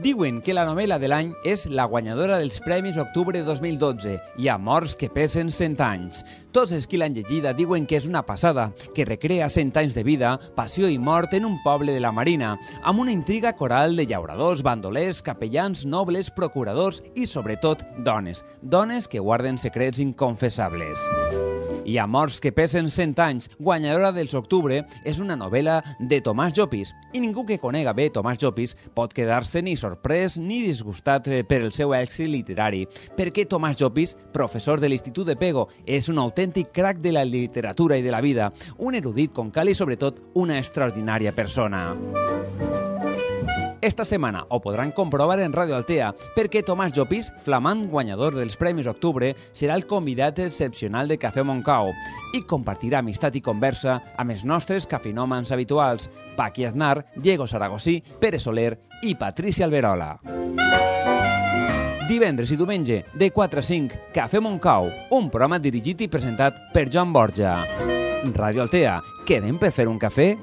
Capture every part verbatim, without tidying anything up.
Diuen que la novel·la de l'any és la guanyadora dels Premis Octubre dos mil dotze i ha morts que pesen cent anys. Tots els qui l'han llegida diuen que és una passada, que recrea cent anys de vida, passió i mort en un poble de la Marina, amb una intriga coral de llauradors, bandolers, capellans, nobles, procuradors i, sobretot, dones. Dones que guarden secrets inconfessables. I a morts que pesen cent anys, guanyadora dels Octubre, és una novel·la de Tomàs Llopis. I ningú que conega bé Tomàs Llopis pot quedar-se ni sorprès ni disgustat per el seu èxit literari, perquè Tomàs Llopis, professor de l'Institut de Pego, és un autèntic crac de la literatura i de la vida, un erudit com cal i, sobretot, una extraordinària persona. Esta setmana ho podran comprovar en Radio Altea, perquè Tomàs Llopis, flamant guanyador dels Premis Octubre, serà el convidat excepcional de Cafè Montcau i compartirà amistat i conversa amb els nostres cafeinòmans habituals, Paqui Aznar, Diego Saragosí, Pere Soler i Patricia Alberola. Divendres i diumenge, de quatre a cinc, Cafè Montcau, un programa dirigit i presentat per Joan Borja. Radio Altea, quedem per fer un cafè?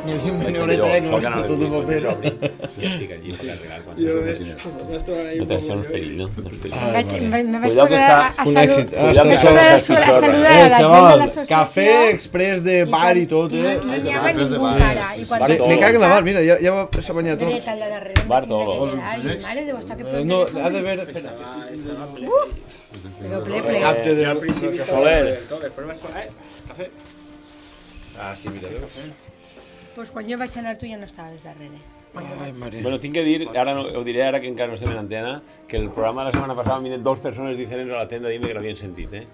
Ni us una horeta eh, que m'has fotut un paper. Sí, estic allí per arreglar quan... Jo m'estava ahí... No te deixes perill, no? Me vaig posar a saludar a la gent de l'associació. Cafè express de bar i tot, eh? No n'hi ha ningú cara. Me cago en la mar, mira, ja s'ha banyat tot. Dreta al de darrere. Bar todo. Mare Déu, està que prendre. No, ha d'haver... Però ple, ple. Capte de... Al principi Soler. Després vaig posar... Cafè. Ah, sí, mira, veus? Pues quan jo vaig anar tu ja no estaves darrere. Ai, mare. Bueno, tinc que dir, ara no, ho diré ara que encara no estem en antena, que el programa de la setmana passada vinen dos persones diferents a la tenda a dir-me que l'havien sentit, eh?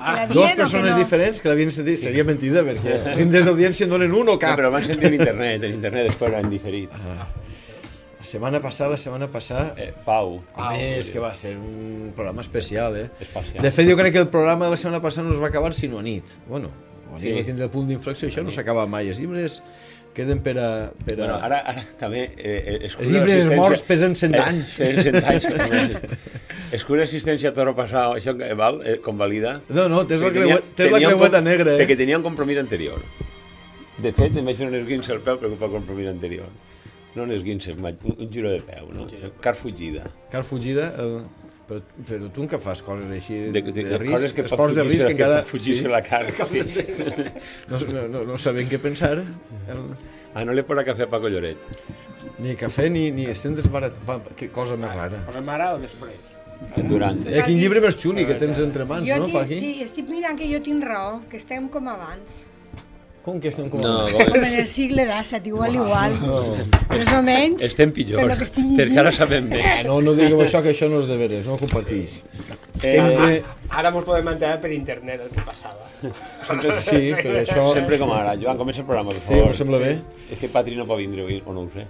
Ah, dos persones diferents que l'havien sentit, seria mentida, perquè els índex d'audiència en donen un o cap. No, però van sentir en internet, en internet després l'han diferit. Ah. La setmana passada, la setmana passada... Eh, Pau. A més, que va ser un programa especial, eh? Espacial. De fet, jo crec que el programa de la setmana passada no es va acabar sinó a nit. Bueno, a Sí. nit va tindre el punt d'inflexió, això no s'acaba mai. Els llibres queden per a... Per a... Bueno, ara, ara també... Eh, els llibres morts pesen cent anys. Eh, cent anys. Escura assistència a toro passat, això val, eh, convalida? No, no, tens la, Tenia- creueta, tens la tenia un creueta com- negra, eh? Perquè tenia un compromís anterior. De fet, em vaig fer un esguince al peu per culpa del compromís anterior. No un esguince, un, un giro de peu, no? Car fugida. Car fugida, el... però, però tu encara fas coses així de, De, de, de, risc, coses que pot esports de risc fugir-se encara... fugir-se la carn. No, no, no, no sabem què pensar. El... Ah, no li posa cafè a Paco Lloret. Ni cafè ni, ni estem desbarat... Va, que cosa més rara. Posem ara o després? Durant. Eh, quin llibre més xuli que tens entre mans, Jo no, tinc, Paqui? sí, estic mirant que jo tinc raó, que estem com abans. Com que estem com... No, Com en el sigle d'Assat, igual, igual. Més o menys. estem pitjor, Per lo que estic llegint. perquè ara sabem bé. Eh, no, no digueu això, que això no és de veres, no ho compartís. Sempre... Ara mos podem enterar per internet el que passava. Sí, però això... Sempre com ara. Joan, comença el programa, per Sí, favor. em sembla bé. És que Patri no pot vindre avui, o no ho sé.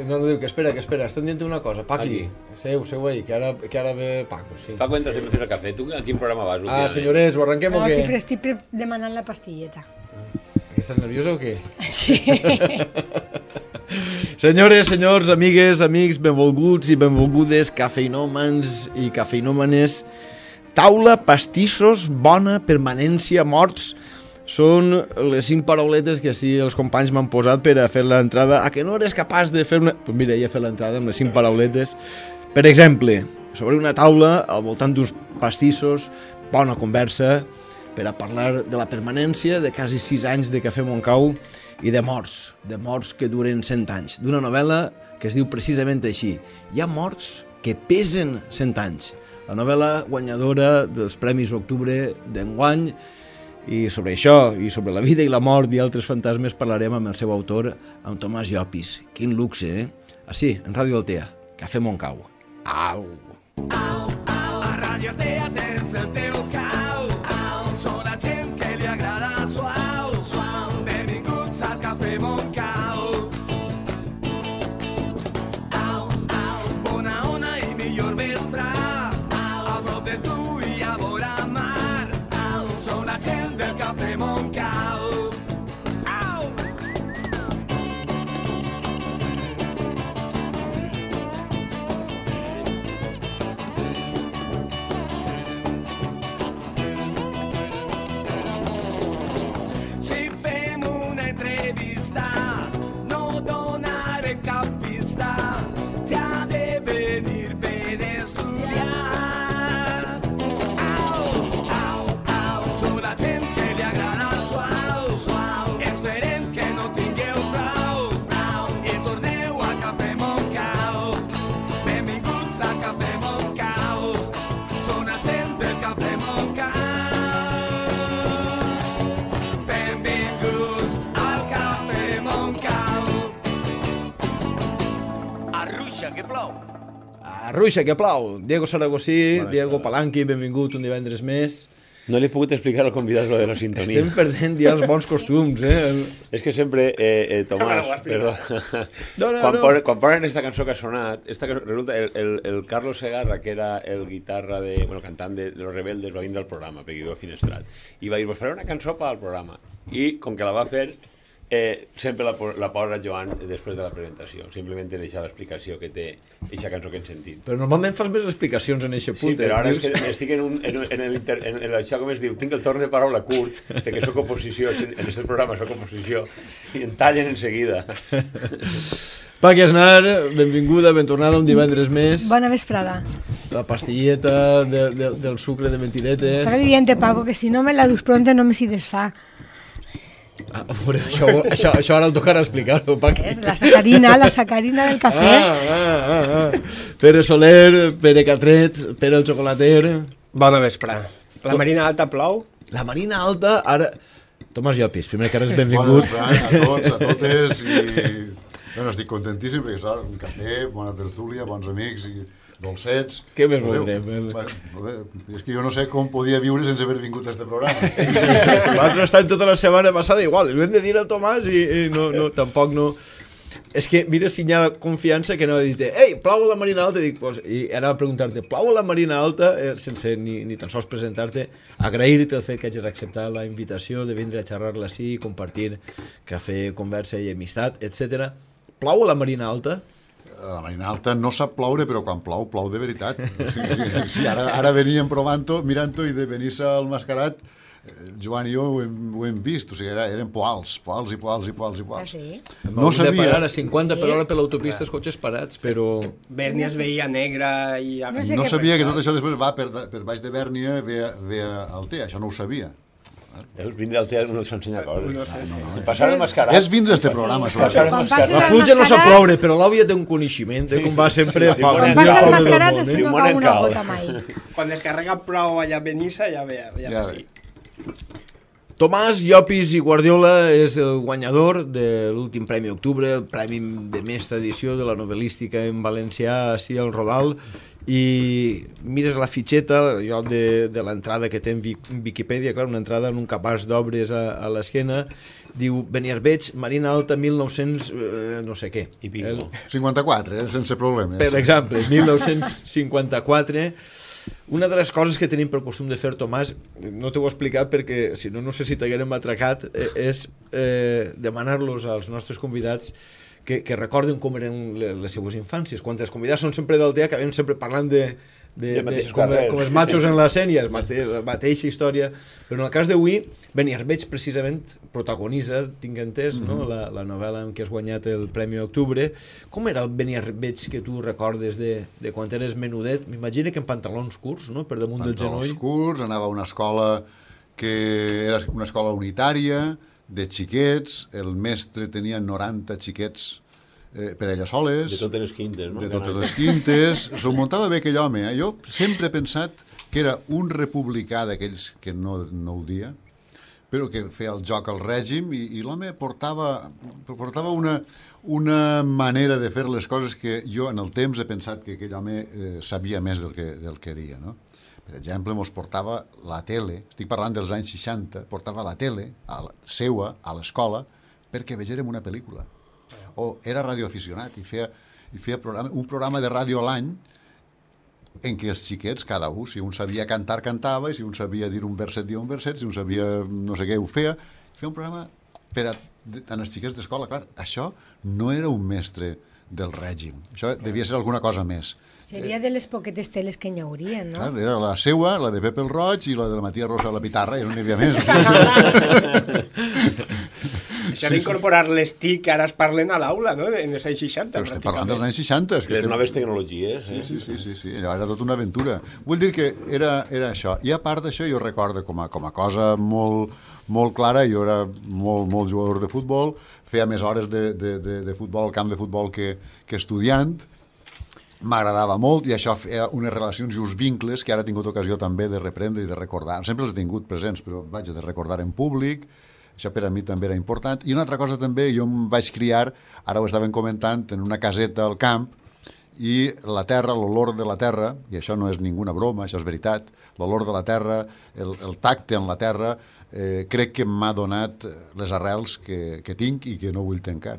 No, no, diu que espera, que espera, estan dient una cosa. Paqui, Aquí. seu, seu ahí, que ara, que ara ve Paco, sí. Paco, entra sempre a fer el cafè. Tu a quin programa vas? Ah, últimament? senyores, ho arrenquem No, o què? estic, estic pre- demanant la pastilleta. Que estàs nerviosa o què? Sí. Senyores, senyors, amigues, amics, benvolguts i benvolgudes, cafeinòmans i cafeinòmanes, taula, pastissos, bona, permanència, morts, són les cinc parauletes que sí els companys m'han posat per a fer l'entrada. A que no eres capaç de fer una... Pues mira, ja he fet l'entrada amb les cinc parauletes. Per exemple, sobre una taula, al voltant d'uns pastissos, bona conversa, per a parlar de la permanència de quasi sis anys de Cafè Montcau i de morts, de morts que duren cent anys, d'una novel·la que es diu precisament així. Hi ha morts que pesen cent anys. La novel·la guanyadora dels Premis Octubre d'enguany, i sobre això, i sobre la vida i la mort i altres fantasmes parlarem amb el seu autor, amb Tomàs Llopis. Quin luxe, eh? Així, en Ràdio Altea, Cafè Montcau. Au! Au, au, a Ràdio Altea tens el teu cau. Au, són la gent que li agrada suau, suau. Benvinguts al Cafè Montcau. Au, au, bona ona i millor vespre. Au, a prop de tu i a vora mar. Au, són la gent del Cafè Montcau. Au! Si fem una entrevista, no donaré cap pista. Si ha de venir per estudiar. Au, au, au, són la gent que li agrada suau, suau. Esperem que no tingueu prou, prou. I torneu a Cafè Montcau. Benvinguts a Cafè Montcau. Són la gent del Cafè Montcau. Benvinguts al Cafè Montcau. Arruixa, que plou. Arruixa, que plau! Diego Saragossí, Diego Palanqui, benvingut un divendres més. No li he pogut explicar al convidat lo de la sintonia. Estem perdent ja els bons costums, eh? El... És que sempre, eh, eh, Tomàs, Bueno, ho has perdó, No, no, quan, no. Ponen, quan ponen esta cançó que ha sonat, esta, que resulta, el, el, el Carlos Segarra, que era el guitarra de, bueno, cantant de, de Los Rebeldes, va vindre al programa, perquè viu a Finestrat, i va dir, vos faré una cançó per al programa, i com que la va fer, eh, sempre la, po- la posa Joan després de la presentació, simplement deixa l'explicació que té eixa cançó que hem sentit. Però normalment fas més explicacions en eixe punt. Sí, però eh? ara és Dius- que estic en, un, en, en, el inter, en, en això, com es diu, tinc el torn de paraula curt, de que soc oposició, en aquest programa soc oposició, i em tallen en seguida. Paqui Aznar, benvinguda, ben tornada un divendres més. Bona vesprada. La pastilleta de, de, del sucre de mentiretes. Estava dient, Paco, que si no me la dus pronto no me si desfà. Ah, veure, això, això, això ara el tocarà explicar-ho, Paqui. És la sacarina, la sacarina del cafè. Ah, ah, ah, ah. Pere Soler, Pere Catret, Pere el xocolater. Bona vesprà. La Marina Alta plou? La Marina Alta, ara... Tomàs Llopis, primer que res, Bona benvingut. vesprada a tots, a totes, i bueno, estic contentíssim perquè, clar, un cafè, bona tertúlia, bons amics i dolcets. Què més Veureu? voldrem? Bueno, bé, és que jo no sé com podia viure sense haver vingut a este programa. L'altre està tota la setmana passada igual, li hem de dir al Tomàs i, i no, no, tampoc no... És que, mira, si hi ha confiança que no ha dit, ei, plau a la Marina Alta, i, dic, pues, i anava a preguntar-te, plau a la Marina Alta, eh, sense ni, ni tan sols presentar-te, agrair-te el fet que hagis acceptat la invitació de vindre a xerrar-la així, compartir cafè, conversa i amistat, etcètera. Plau a la Marina Alta? La Marina Alta no sap ploure, però quan plou, plou de veritat. Sí, ara, ara veníem provant-ho, mirant-ho, i de venir-se al Mascarat, Joan i jo ho hem, ho hem vist, o sigui, era, eren poals, poals i poals i poals i poals. Ah, sí? No Hem de sabia... parar a cinquanta per hora per l'autopista, els cotxes parats, però... Bèrnia es veia negra i... No sé No què sabia que passa. tot això després va per, per baix de Bèrnia, ve, a- ve a Altea, això no ho sabia. Veus, vindre al teatre no s'ensenya coses. No sé, sí. I passar el mascarat. És vindre a este programa, Passar sobretot. el Quan mascarat. passes La al pluja no sap Mascarat- ploure, però l'àvia té un coneixement, eh, com va sempre... sí, sí, pel quan Quan millor passa el poble del Mascarat, món, així eh? no Dimoni cau una cal. gota mai. Quan descarrega prou allà a Benissa, ja ve, ja, Ja ve ve. sí. Tomàs Llopis i Guardiola és el guanyador de l'últim Premi Octubre, el premi de més edició de la novel·lística en valencià, així al Rodal, i mires la fitxeta, jo de, de l'entrada que té en Viquipèdia, clar, una entrada en un capaç d'obres a, a l'esquena, diu Beniarbeig, Marina Alta, mil nou-cents... Eh, no sé què. I pico. El- cinquanta-quatre, eh, sense problemes. per exemple, mil nou-cents cinquanta-quatre. Una de les coses que tenim per costum de fer, Tomàs, no t'ho he explicat perquè si no, no sé si t'haguérem atracat, eh, és eh, demanar-los als nostres convidats que, que recorden com eren le- les seues infàncies. Quan els convidats són sempre d'Altea, acabem sempre parlant de, de, De de, mateixos com, carrers. com els machos en la sèrie, la mateixa història, però en el cas d'avui, Beniarbeig precisament protagoniza, tinc entès, mm -hmm. no? la, la novel·la en què has guanyat el Premi Octubre. Com era el Beniarbeig que tu recordes de, de quan eres menudet? M'imagino que en pantalons curts, no? Per damunt del Pantalons genoll. curts, anava a una escola que era una escola unitària, de xiquets, el mestre tenia noranta xiquets eh, per ella soles. De totes les quintes, no? De totes les quintes. S'ho muntava bé aquell home. Eh? Jo sempre he pensat que era un republicà d'aquells que no, no ho dia, però que feia el joc al règim i, i l'home portava, portava una, una manera de fer les coses que jo en el temps he pensat que aquell home eh, sabia més del que, del que dia, no? Per exemple, mos portava la tele, estic parlant dels anys seixanta, portava la tele a la, seua a l'escola perquè vegérem una pel·lícula. O era radioaficionat i feia, i feia programa, un programa de ràdio a l'any en què els xiquets, cada un, si un sabia cantar, cantava, i si un sabia dir un verset, dia un verset, si un sabia no sé què, ho feia. Feia un programa per a, a els xiquets d'escola. Clar, això no era un mestre del règim. Això devia ser alguna cosa més. Seria de les poquetes teles que n'hi hauria, no? Clar, era la seua, la de Pepe el Roig i la de la Matia Rosa a la Pitarra, i no n'hi havia més. Això era incorporar les T I C que ara es parlen a l'aula, no? En els anys seixanta. Però estem parlant dels anys seixanta. Les noves tecnologies, eh? Sí, sí, sí, sí, allò era tota una aventura. Vull dir que era, era això. I a part d'això, jo recordo com a, com a cosa molt, molt clara, jo era molt, molt jugador de futbol, feia més hores de, de, de, de futbol al camp de futbol que, que estudiant, m'agradava molt i això feia unes relacions i uns vincles que ara he tingut ocasió també de reprendre i de recordar. Sempre els he tingut presents, però vaig de recordar en públic. Això per a mi també era important. I una altra cosa també, jo em vaig criar, ara ho estaven comentant, en una caseta al camp, i la terra, l'olor de la terra, i això no és ninguna broma, això és veritat, l'olor de la terra, el, el tacte en la terra, eh, crec que m'ha donat les arrels que, que tinc i que no vull tancar.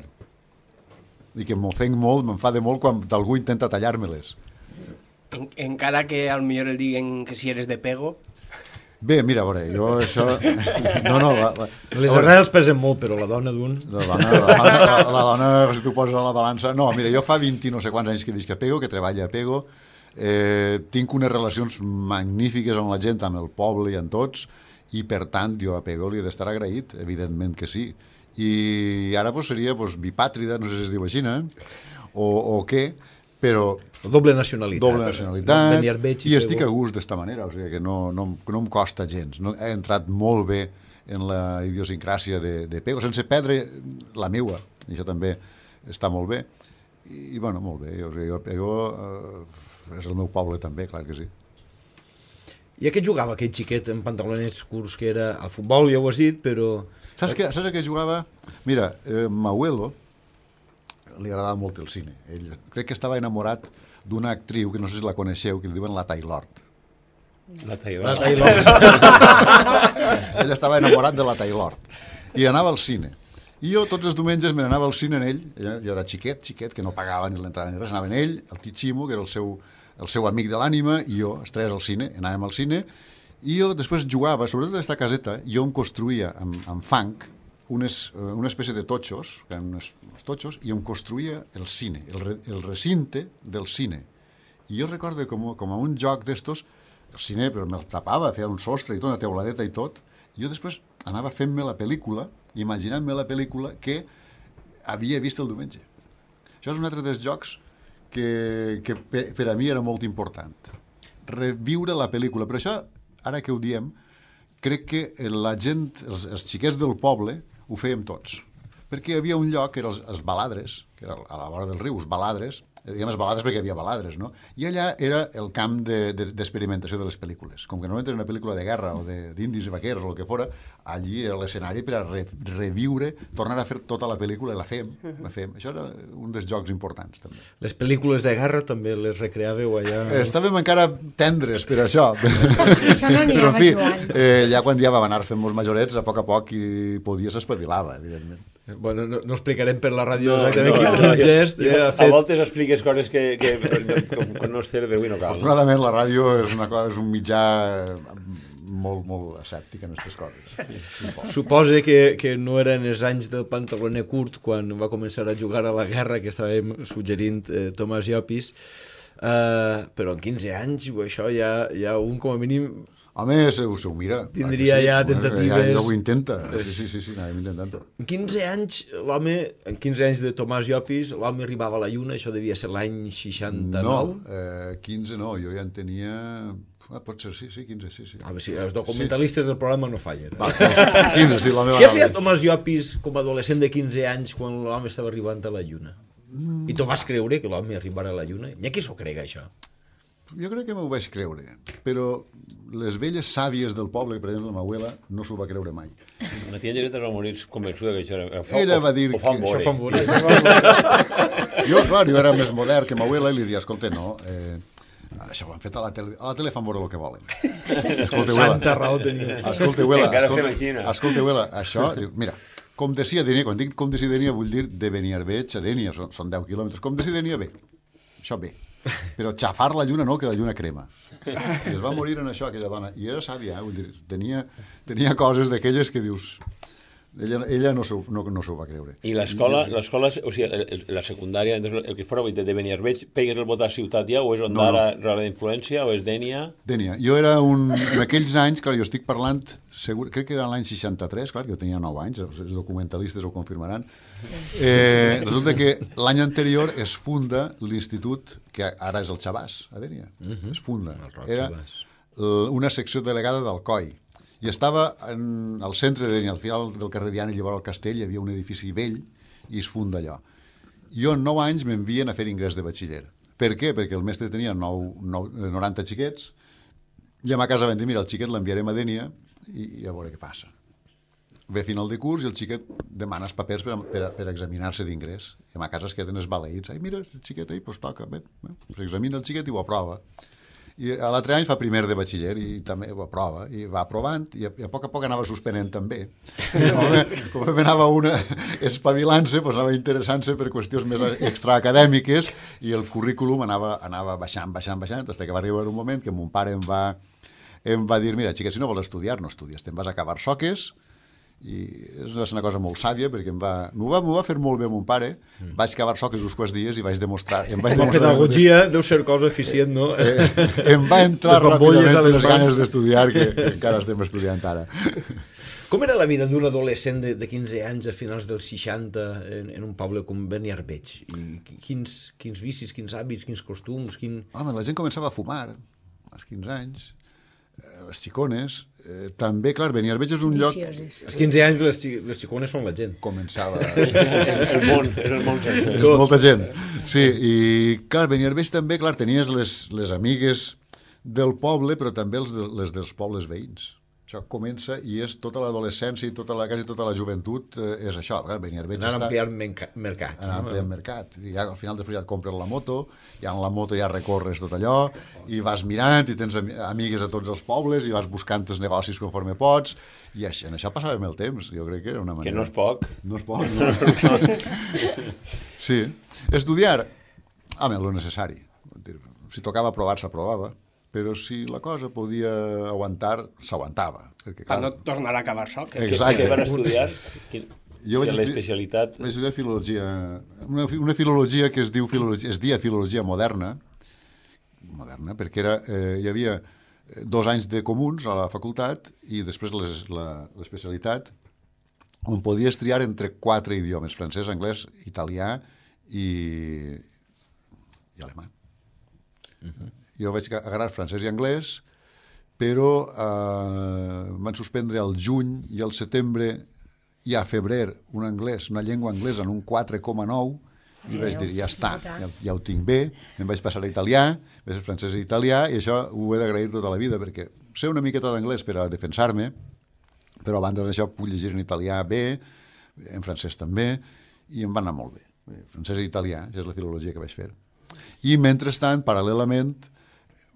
I que m'ofenc molt, m'enfada molt quan algú intenta tallar-me-les. En, encara que al millor el diguen que si eres de pego. Bé, mira, a veure, jo això... No, no, la, la... Les arrels pesen molt, però la dona d'un... La dona, la, dona, la, la dona, si tu poses a la balança... No, mira, jo fa vint no sé quants anys que visc a Pego, que treballo a Pego, eh, tinc unes relacions magnífiques amb la gent, amb el poble i amb tots, i per tant jo a Pego li he d'estar agraït, evidentment que sí. I ara pues, seria pues, bipàtrida, no sé si es diu així, eh? o, o què, però... Doble nacionalitat. Doble nacionalitat, i, i estic a gust d'esta manera, o sigui que no, no, no em costa gens. No, he entrat molt bé en la idiosincràsia de, de Pego, sense perdre la meua, i això també està molt bé. I, i bueno, molt bé, jo, jo Pego eh, és el meu poble també, clar que sí. I a què jugava aquell xiquet en pantalonets curts que era al futbol, ja ho has dit, però... Saps, que, saps a què jugava? Mira, eh, Mauelo li agradava molt el cine. Ell crec que estava enamorat d'una actriu, que no sé si la coneixeu, que li diuen la Taylord. La Taylor. La Taylor. Ell estava enamorat de la Taylord. I anava al cine. I jo tots els diumenges me n'anava al cine en ell. Jo era xiquet, xiquet, que no pagava ni l'entrada ni res. Anava en ell, el Tichimo, que era el seu, el seu amic de l'ànima, i jo, els tres al cine, anàvem al cine, i jo després jugava, sobretot d'aquesta caseta, jo em construïa amb, amb fang unes, una espècie de totxos, que eren uns, uns totxos, i em construïa el cine, el, re, el recinte del cine. I jo recordo com, com a un joc d'estos, el cine però me'l tapava, feia un sostre i tot, una teuladeta i tot, i jo després anava fent-me la pel·lícula, imaginant-me la pel·lícula que havia vist el diumenge. Això és un altre dels jocs que, que per, per a mi era molt important. Reviure la pel·lícula. Per això, ara que ho diem, crec que la gent, els, els xiquets del poble, ho fèiem tots. Perquè hi havia un lloc, que era els, els baladres, que era a la vora del riu, els baladres, diguem els baladres perquè hi havia baladres, no? I allà era el camp d'experimentació de, de, de les pel·lícules. Com que normalment era una pel·lícula de guerra o d'indis i vaquers o el que fora, allí era l'escenari per a re, reviure, tornar a fer tota la pel·lícula i la fem, la fem. Això era un dels jocs importants, també. Les pel·lícules de guerra també les recreàveu allà? Estàvem encara tendres per això. Això no n'hi Però, en fi, Joan. eh, ja quan ja vam anar fent molts majorets, a poc a poc i podies espavilava, evidentment. Bueno, no, no explicarem per la ràdio No, exactament no, quin no, gest jo- eh, ha A fet. voltes expliques coses que, que com, com no és cert, però avui no cal. No? Afortunadament, la ràdio és, una cosa, és un mitjà molt, molt escèptic en aquestes coses. Suposa que, que no eren els anys del pantaloner curt quan va començar a jugar a la guerra que estàvem suggerint eh, Tomàs Llopis, eh, però en quinze anys això ja, ja un com a mínim... Home, se, se ho mira. Tindria sí, ja home, tentatives. Ja, ja ho intenta. Sí, sí, sí, sí anàvem intentant-ho. En quinze anys, l'home, en quinze anys de Tomàs Llopis, l'home arribava a la lluna, això devia ser l'any seixanta-nou. No, eh, quinze no, jo ja en tenia Ah, pot ser, sí, sí, quinze, sí, sí. A veure si els documentalistes del programa no fallen. Va, quinze, sí, la meva Què nova. feia Tomàs Llopis com a adolescent de quinze anys quan l'home estava arribant a la lluna? Mm. I tu vas creure que l'home arribarà a la lluna? Hi ha qui s'ho crega, això. Jo crec que m'ho vaig creure, però les velles sàvies del poble, per exemple, la meva abuela, no s'ho va creure mai. La tia Llereta va morir convençuda que això era... Fa, Ella va dir ho fan que- veure. Això fan veure. Jo, clar, jo era més modern que ma abuela i li dia, escolta, no, eh, això ho han fet a la tele, a la tele fan veure el que volen. Escolta, abuela, Santa raó tenia. escolta, abuela, Encara escolta, s'imagina. escolta, abuela, això, diu, mira, com de si a Denia, quan dic com de si a Denia vull dir de Beniarbeig a Denia, són, són deu quilòmetres, com de si a Denia bé, això bé, però xafar la lluna no, que la lluna crema. I es va morir en això, aquella dona, i era sàvia, eh? Vull dir, tenia, tenia coses d'aquelles que dius... Ella, ella no s'ho no, no s'ho va creure. I l'escola, l'escola, o sigui, el- el- la secundària, entonces, el que fora de Beniarbeig, pegues el vot a Ciutat ja, o és No, Ondara, no. Rala d'Influència, o és Dènia? Dènia, jo era un... En aquells anys, clar, jo estic parlant, segur, crec que era l'any seixanta-tres, clar, jo tenia nou anys, els documentalistes ho confirmaran. Eh, resulta que l'any anterior es funda l'institut, que ara és el Xabàs, a Dènia. Uh-huh. Es funda. Roc Era Xabàs. l- una secció delegada d'Alcoi. I estava en, al centre de Dènia, al final del carrer Diana, i llavors al castell hi havia un edifici vell i es funda allò. Jo en nou anys m'envien a fer ingrés de batxiller. Per què? Perquè el mestre tenia nou, nou, noranta xiquets i a ma casa vam dir, mira, el xiquet l'enviarem a Dènia i, i a veure què passa. Ve final de curs i el xiquet demana els papers per, per, per examinar-se d'ingrés. I a ma casa es queden els baleïts. Ai, mira, el xiquet, ai, doncs toca. Bé, bé. S'examina el xiquet i ho aprova. I a l'altre any fa primer de batxiller i també ho aprova, i va aprovant i a, i a poc a poc anava suspenent també. I com, com anava una espavilant-se, doncs anava interessant-se per qüestions més extraacadèmiques i el currículum anava, anava baixant, baixant, baixant, fins que va arribar un moment que mon pare em va, em va dir, mira, xiquet, si no vols estudiar, no estudies, te'n vas a acabar soques. I és una cosa molt sàvia perquè em va, m'ho va, m'ho va fer molt bé mon pare. Mm. Vaig cavar soques uns quants dies i vaig demostrar, em vaig La demostrar pedagogia deu ser cosa eficient, no? eh, em va entrar Les bombolles ràpidament a les les mans. ganes d'estudiar que, que encara estem estudiant ara. Com era la vida d'un adolescent de, de quinze anys a finals dels seixanta en, en un poble com Beniarbeig? I quins, quins vicis, quins hàbits, quins costums, quin... Home, la gent començava a fumar als quinze anys, eh, les xicones, eh, també, clar, Beniarbeig és un lloc... Vicioses. Als quinze anys les, xi- les xicones són la gent. Començava... És el món, és el món sencer. és molta gent. Sí, i clar, Beniarbeig també, clar, tenies les, les amigues del poble, però també els de, les dels pobles veïns. Això comença i és tota l'adolescència i tota la, quasi tota la joventut eh, és això. Clar, Beniarbeig Anar està... ampliant menca- mercat. Anar no? ampliant mercat. I ja, al final després ja et compres la moto, ja en la moto ja recorres tot allò, i vas mirant, i tens ami- amigues a tots els pobles, i vas buscant els negocis conforme pots, i això, en això passàvem el temps, jo crec que era una manera... Que no és poc. No és poc, no. Sí. Estudiar, home, lo necessari. Vull dir, si tocava aprovar, s'aprovava, però si la cosa podia aguantar, s'aguantava. Perquè, Per clar, no tornar a acabar soc. Què, Exacte. què van estudiar? Quin... Jo vaig la estudiar- especialitat... Vaig estudiar filologia, una, fi- una filologia que es diu filologia, es dia filologia moderna, moderna, perquè era, eh, hi havia eh, dos anys de comuns a la facultat i després les, la, l'especialitat, on podies triar entre quatre idiomes, francès, anglès, italià i, i alemany. Uh-huh. Jo vaig agarrar francès i anglès, però eh, van suspendre al juny i al setembre i a febrer un anglès, una llengua anglesa en un quatre coma nou i vaig dir, ja està, ja, ja ho tinc bé, em vaig passar a italià, vaig ser francès i italià, i això ho he d'agrair tota la vida, perquè sé una miqueta d'anglès per a defensar-me, però a banda d'això puc llegir en italià bé, en francès també, i em va anar molt bé. Francès i italià, que és la filologia que vaig fer. I mentrestant, paral·lelament,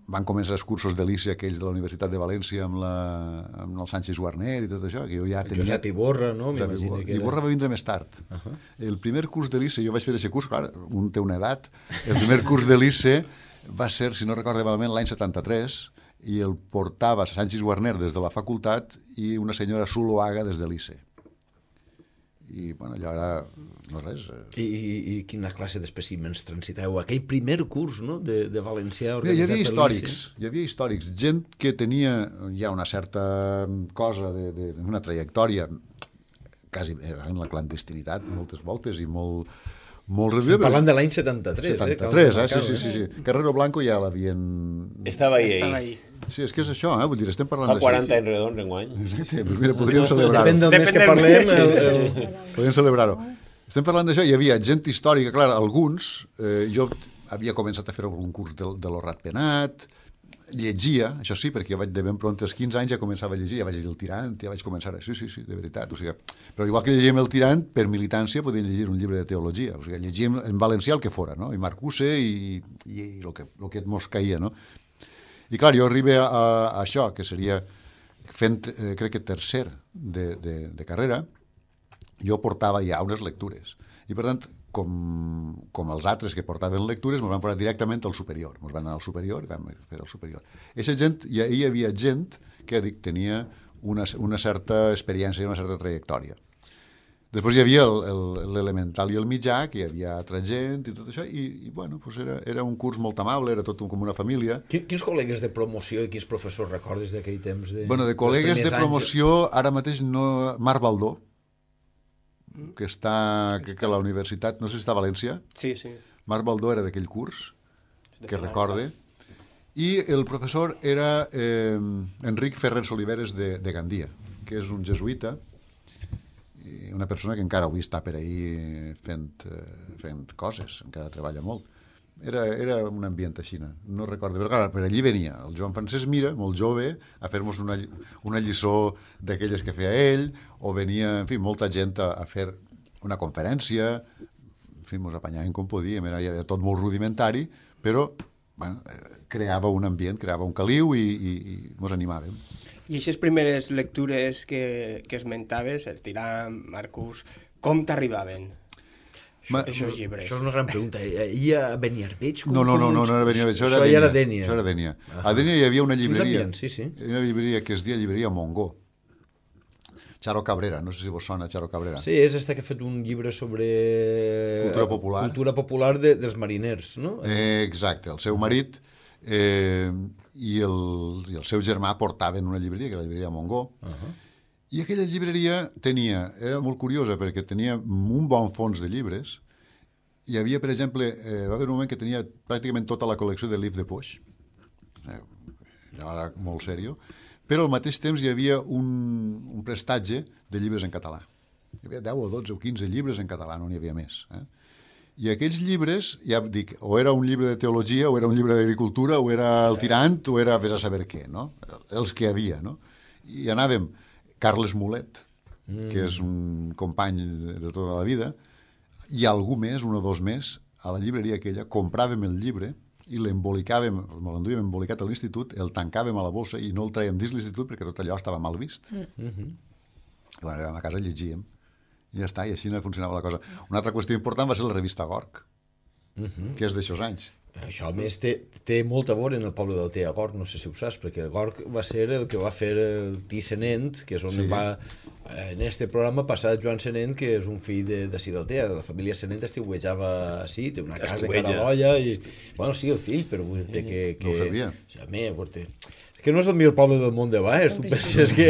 van començar els cursos de l'I C E aquells de la Universitat de València amb, la, amb el Sánchez Guarner i tot això, que jo ja El tenia... Josep Iborra, no? Josep M'imagino Iborra. que era... Iborra va vindre més tard. Uh -huh. El primer curs de l'I C E, jo vaig fer aquest curs, clar, un té una edat, el primer curs de l'I C E va ser, si no recordo malament, l'any setanta-tres, i el portava Sánchez Guarner des de la facultat i una senyora Zuloaga des de l'I C E. I, bueno, allò era... no res. I, i, i quina classe d'espècimens transiteu? Aquell primer curs, no?, de, de valencià Mira, hi organitzat havia per històrics, l'I C E. hi havia històrics, gent que tenia ja una certa cosa, de, de, una trajectòria quasi en la clandestinitat moltes voltes i molt, molt reduïda. Parlant de l'any setanta-tres. setanta-tres, eh? Sí, sí, sí, sí. Carrero Blanco ja l'havien... Estava ahí, Estava ahí. ahí. Sí, és que és això, eh? Vull dir, estem parlant Fa d'això. quaranta anys redons enguany. Sí, doncs mira, podríem celebrar-ho. Depèn del mes que parlem. El, el... Podríem celebrar-ho. Estem parlant d'això, hi havia gent històrica, clar, alguns, eh, jo havia començat a fer algun curs de, de lo Ratpenat, llegia, això sí, perquè jo vaig de ben pront als quinze anys ja començava a llegir, ja vaig llegir El Tirant, ja vaig començar a... Sí, sí, sí, de veritat, o sigui, però igual que llegíem El Tirant, per militància podíem llegir un llibre de teologia, o sigui, llegíem en valencià el que fora, no? I Marcuse i, i, i el que, el que mos caïa, no? I clar, jo arribo a, a, a això, que seria fent, eh, crec que tercer de, de, de carrera, jo portava ja unes lectures. I, per tant, com, com els altres que portaven lectures, ens van posar directament al superior. Ens van anar al superior i vam fer el superior. Eixa gent, ja hi havia gent que dic, tenia una, una certa experiència i una certa trajectòria. Després hi havia l'elemental i el mitjà, que hi havia altra gent i tot això, i, i bueno, pues era, era un curs molt amable, era tot com una família. Quins col·legues de promoció i quins professors recordes d'aquell temps? De, bueno, de col·legues de promoció, ara mateix no... Marc Baldó, que està, que, que a la universitat, no sé si està a València. Sí, sí. Marc Baldó era d'aquell curs, que recorde. I el professor era eh, Enric Ferrens Oliveres de, de Gandia, que és un jesuïta, i una persona que encara avui està per ahí fent, fent coses, encara treballa molt. Era, era un ambient així, no recordo, però clar, per allí venia el Joan Francesc Mira, molt jove, a fer-nos una, una lliçó d'aquelles que feia ell, o venia, en fi, molta gent a, a fer una conferència, en fi, ens apanyaven com podíem, era, era tot molt rudimentari, però bueno, creava un ambient, creava un caliu i, i, i ens animàvem. I aquestes primeres lectures que, que esmentaves, el Tirant, Marcus, com t'arribaven? Ma, Aquests llibres. Això és una gran pregunta. Hi a Beniarbeig? No, no, no, no, no era Beniarbeig, això era això Dénia. Era Dénia. Això era Dénia. Ah. A Dénia hi havia una llibreria, sí, sí. una llibreria que es deia Llibreria Mongó. Charo Cabrera, no sé si vos sona Charo Cabrera. Sí, és esta que ha fet un llibre sobre... Cultura popular. Cultura popular de, dels mariners, no? Eh, exacte, el seu marit eh, i, el, i el seu germà portaven una llibreria, que era la llibreria Mongó, uh -huh. I aquella llibreria tenia, era molt curiosa perquè tenia un bon fons de llibres. Hi havia, per exemple, eh, va haver un moment que tenia pràcticament tota la col·lecció de Livre de Poix, eh, era molt seriós, però al mateix temps hi havia un, un prestatge de llibres en català. Hi havia deu o dotze o quinze llibres en català, no n'hi havia més. Eh? I aquells llibres, ja dic, o era un llibre de teologia, o era un llibre d'agricultura, o era el Tirant, o era vés a saber què, no? Els que hi havia, no? I anàvem, Carles Mulet, mm. que és un company de tota la vida, i algú més, un o dos més, a la llibreria aquella, compràvem el llibre i l'embolicàvem, l'enduíem embolicat a l'institut, el tancàvem a la bossa i no el traiem dins l'institut perquè tot allò estava mal vist. Mm -hmm. I quan arribàvem a casa llegíem. I ja està, i així no funcionava la cosa. Una altra qüestió important va ser la revista Gorg, mm -hmm. que és d'aixòs anys. Això, a més, té, té molt a veure en el poble del Té a Gorg, no sé si ho saps, perquè el Gorg va ser el que va fer el Tí Senent, que és on sí. va, en este programa, passar Joan Senent, que és un fill de, de del Té, la família Senent estiuejava així, té una casa a Caradolla, i, bueno, sí, el fill, però vull dir que... que no ho sabia. A mi, és que no és el millor poble del món de baix, tu penses que...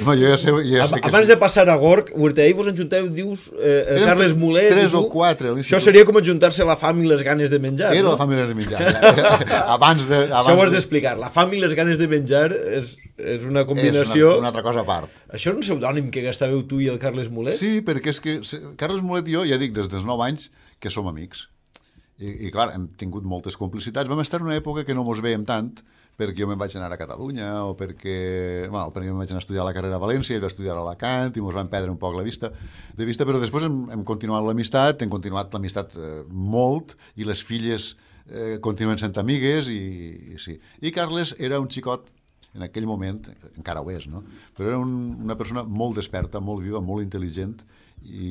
No, jo ja sé, ja sé que... Abans de passar a Gorg, ahir vos enjunteu, dius, eh, Carles Mulet... Tres o quatre. Això seria com ajuntar-se la fam i les ganes de menjar, Era no? la fam i les ganes de menjar. abans de... Abans Això ho has d'explicar. La fam i les ganes de menjar és, és una combinació... És una, una altra cosa a part. Això és un pseudònim que gastàveu tu i el Carles Mulet? Sí, perquè és que Carles Mulet i jo, ja dic, des dels nou anys que som amics. I, i clar, hem tingut moltes complicitats. Vam estar en una època que no mos veiem tant, perquè jo me'n vaig anar a Catalunya o perquè, bueno, perquè me'n vaig anar a estudiar la carrera a València, ell va estudiar a Alacant i ens van perdre un poc la vista de vista, però després hem, hem continuat l'amistat, hem continuat l'amistat eh, molt, i les filles eh, continuen sent amigues, i, i sí. I Carles era un xicot, en aquell moment, encara ho és, no? Però era un, una persona molt desperta, molt viva, molt intel·ligent i,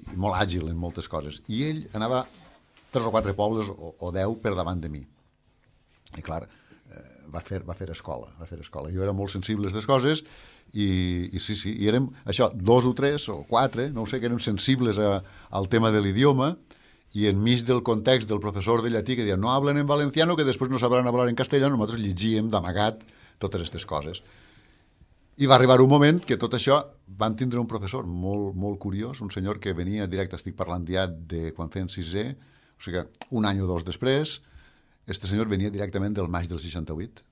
i molt àgil en moltes coses. I ell anava tres o quatre pobles o, o deu per davant de mi. I clar, va fer, va fer escola, va fer escola. Jo era molt sensible a aquestes coses i, i sí, sí, i érem, això, dos o tres o quatre, no ho sé, que érem sensibles a, al tema de l'idioma, i enmig del context del professor de llatí que deia no hablen en valenciano que després no sabran hablar en castellano, nosaltres llegíem d'amagat totes aquestes coses. I va arribar un moment que tot això vam tindre un professor molt, molt curiós, un senyor que venia directe, estic parlant ja de quan feien sisè, o sigui, un any o dos després, este senyor venia directament del maig del seixanta-vuit,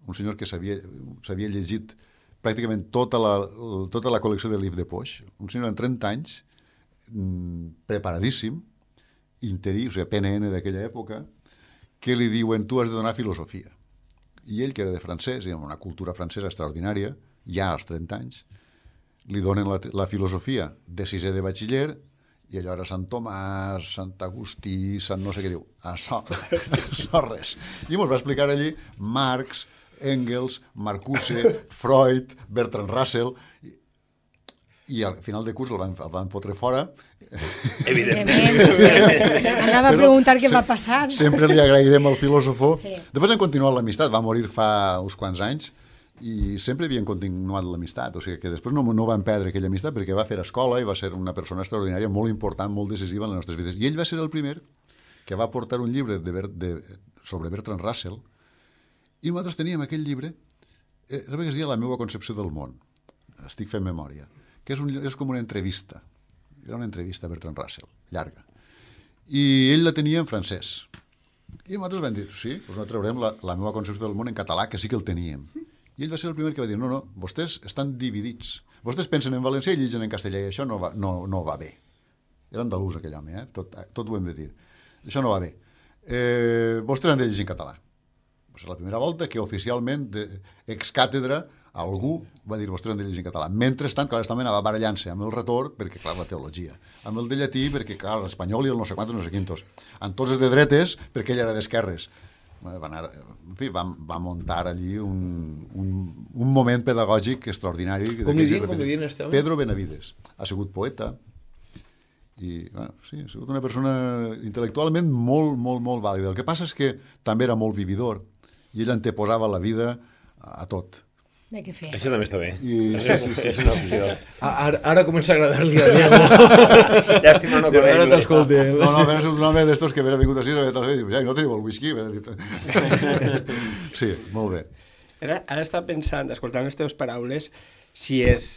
un senyor que s'havia llegit pràcticament tota la, tota la col·lecció de Livre de Poix, un senyor amb trenta anys, preparadíssim, interí, o sigui, P N N d'aquella època, que li diuen, tu has de donar filosofia. I ell, que era de francès, i amb una cultura francesa extraordinària, ja als trenta anys, li donen la, la filosofia de sisè de batxiller, i allò era Sant Tomàs, Sant Agustí, Sant no sé què diu, això, això res. I ens va explicar allí Marx, Engels, Marcuse, Freud, Bertrand Russell, i, i al final de curs el van, el van fotre fora. Evidentment. Anava a preguntar què va passar. Sempre li agrairem al filòsofo. Sí. Després han continuat l'amistat, va morir fa uns quants anys, i sempre havien continuat l'amistat, o sigui que després no, no van perdre aquella amistat perquè va fer escola i va ser una persona extraordinària, molt important, molt decisiva en les nostres vides. I ell va ser el primer que va portar un llibre de, de, sobre Bertrand Russell, i nosaltres teníem aquell llibre, eh, que es deia La meva concepció del món, estic fent memòria, que és, un, és com una entrevista, era una entrevista a Bertrand Russell, llarga, i ell la tenia en francès. I nosaltres vam dir, sí, doncs no traurem la, la meva concepció del món en català, que sí que el teníem. I ell va ser el primer que va dir, no, no, vostès estan dividits. Vostès pensen en valencià i lligen en castellà, i això no va, no, no va bé. Era andalús aquell home, eh? tot, tot ho hem de dir. Això no va bé. Eh, vostès han de llegir en català. Va ser la primera volta que oficialment, de, ex càtedra, algú va dir vostès han de llegir en català. Mentrestant, clar, esta anava barallant-se amb el retor, perquè, clar, la teologia. Amb el de llatí, perquè, clar, l'espanyol i el no sé quantos, no sé quintos. Amb tots els de dretes, perquè ell era d'esquerres. Va, anar, en fi, va, va muntar allí un, un, un moment pedagògic extraordinari. Com li diuen, com li diuen este home? Pedro Benavides. Ha sigut poeta i, bueno, sí, ha sigut una persona intel·lectualment molt, molt, molt vàlida. El que passa és que també era molt vividor i ell anteposava la vida a, a tot. De què fer? Això també està bé. I, sí, sí, sí, és una opció. Ara, ara comença a agradar-li a Diego. Llàstima no conèixer. Ara t'escolti. no, no, però és un home d'estos que havia vingut així i diu, ja, no teniu el whisky? Sí, molt bé. Ara, ara estava pensant, escoltant les teves paraules, si els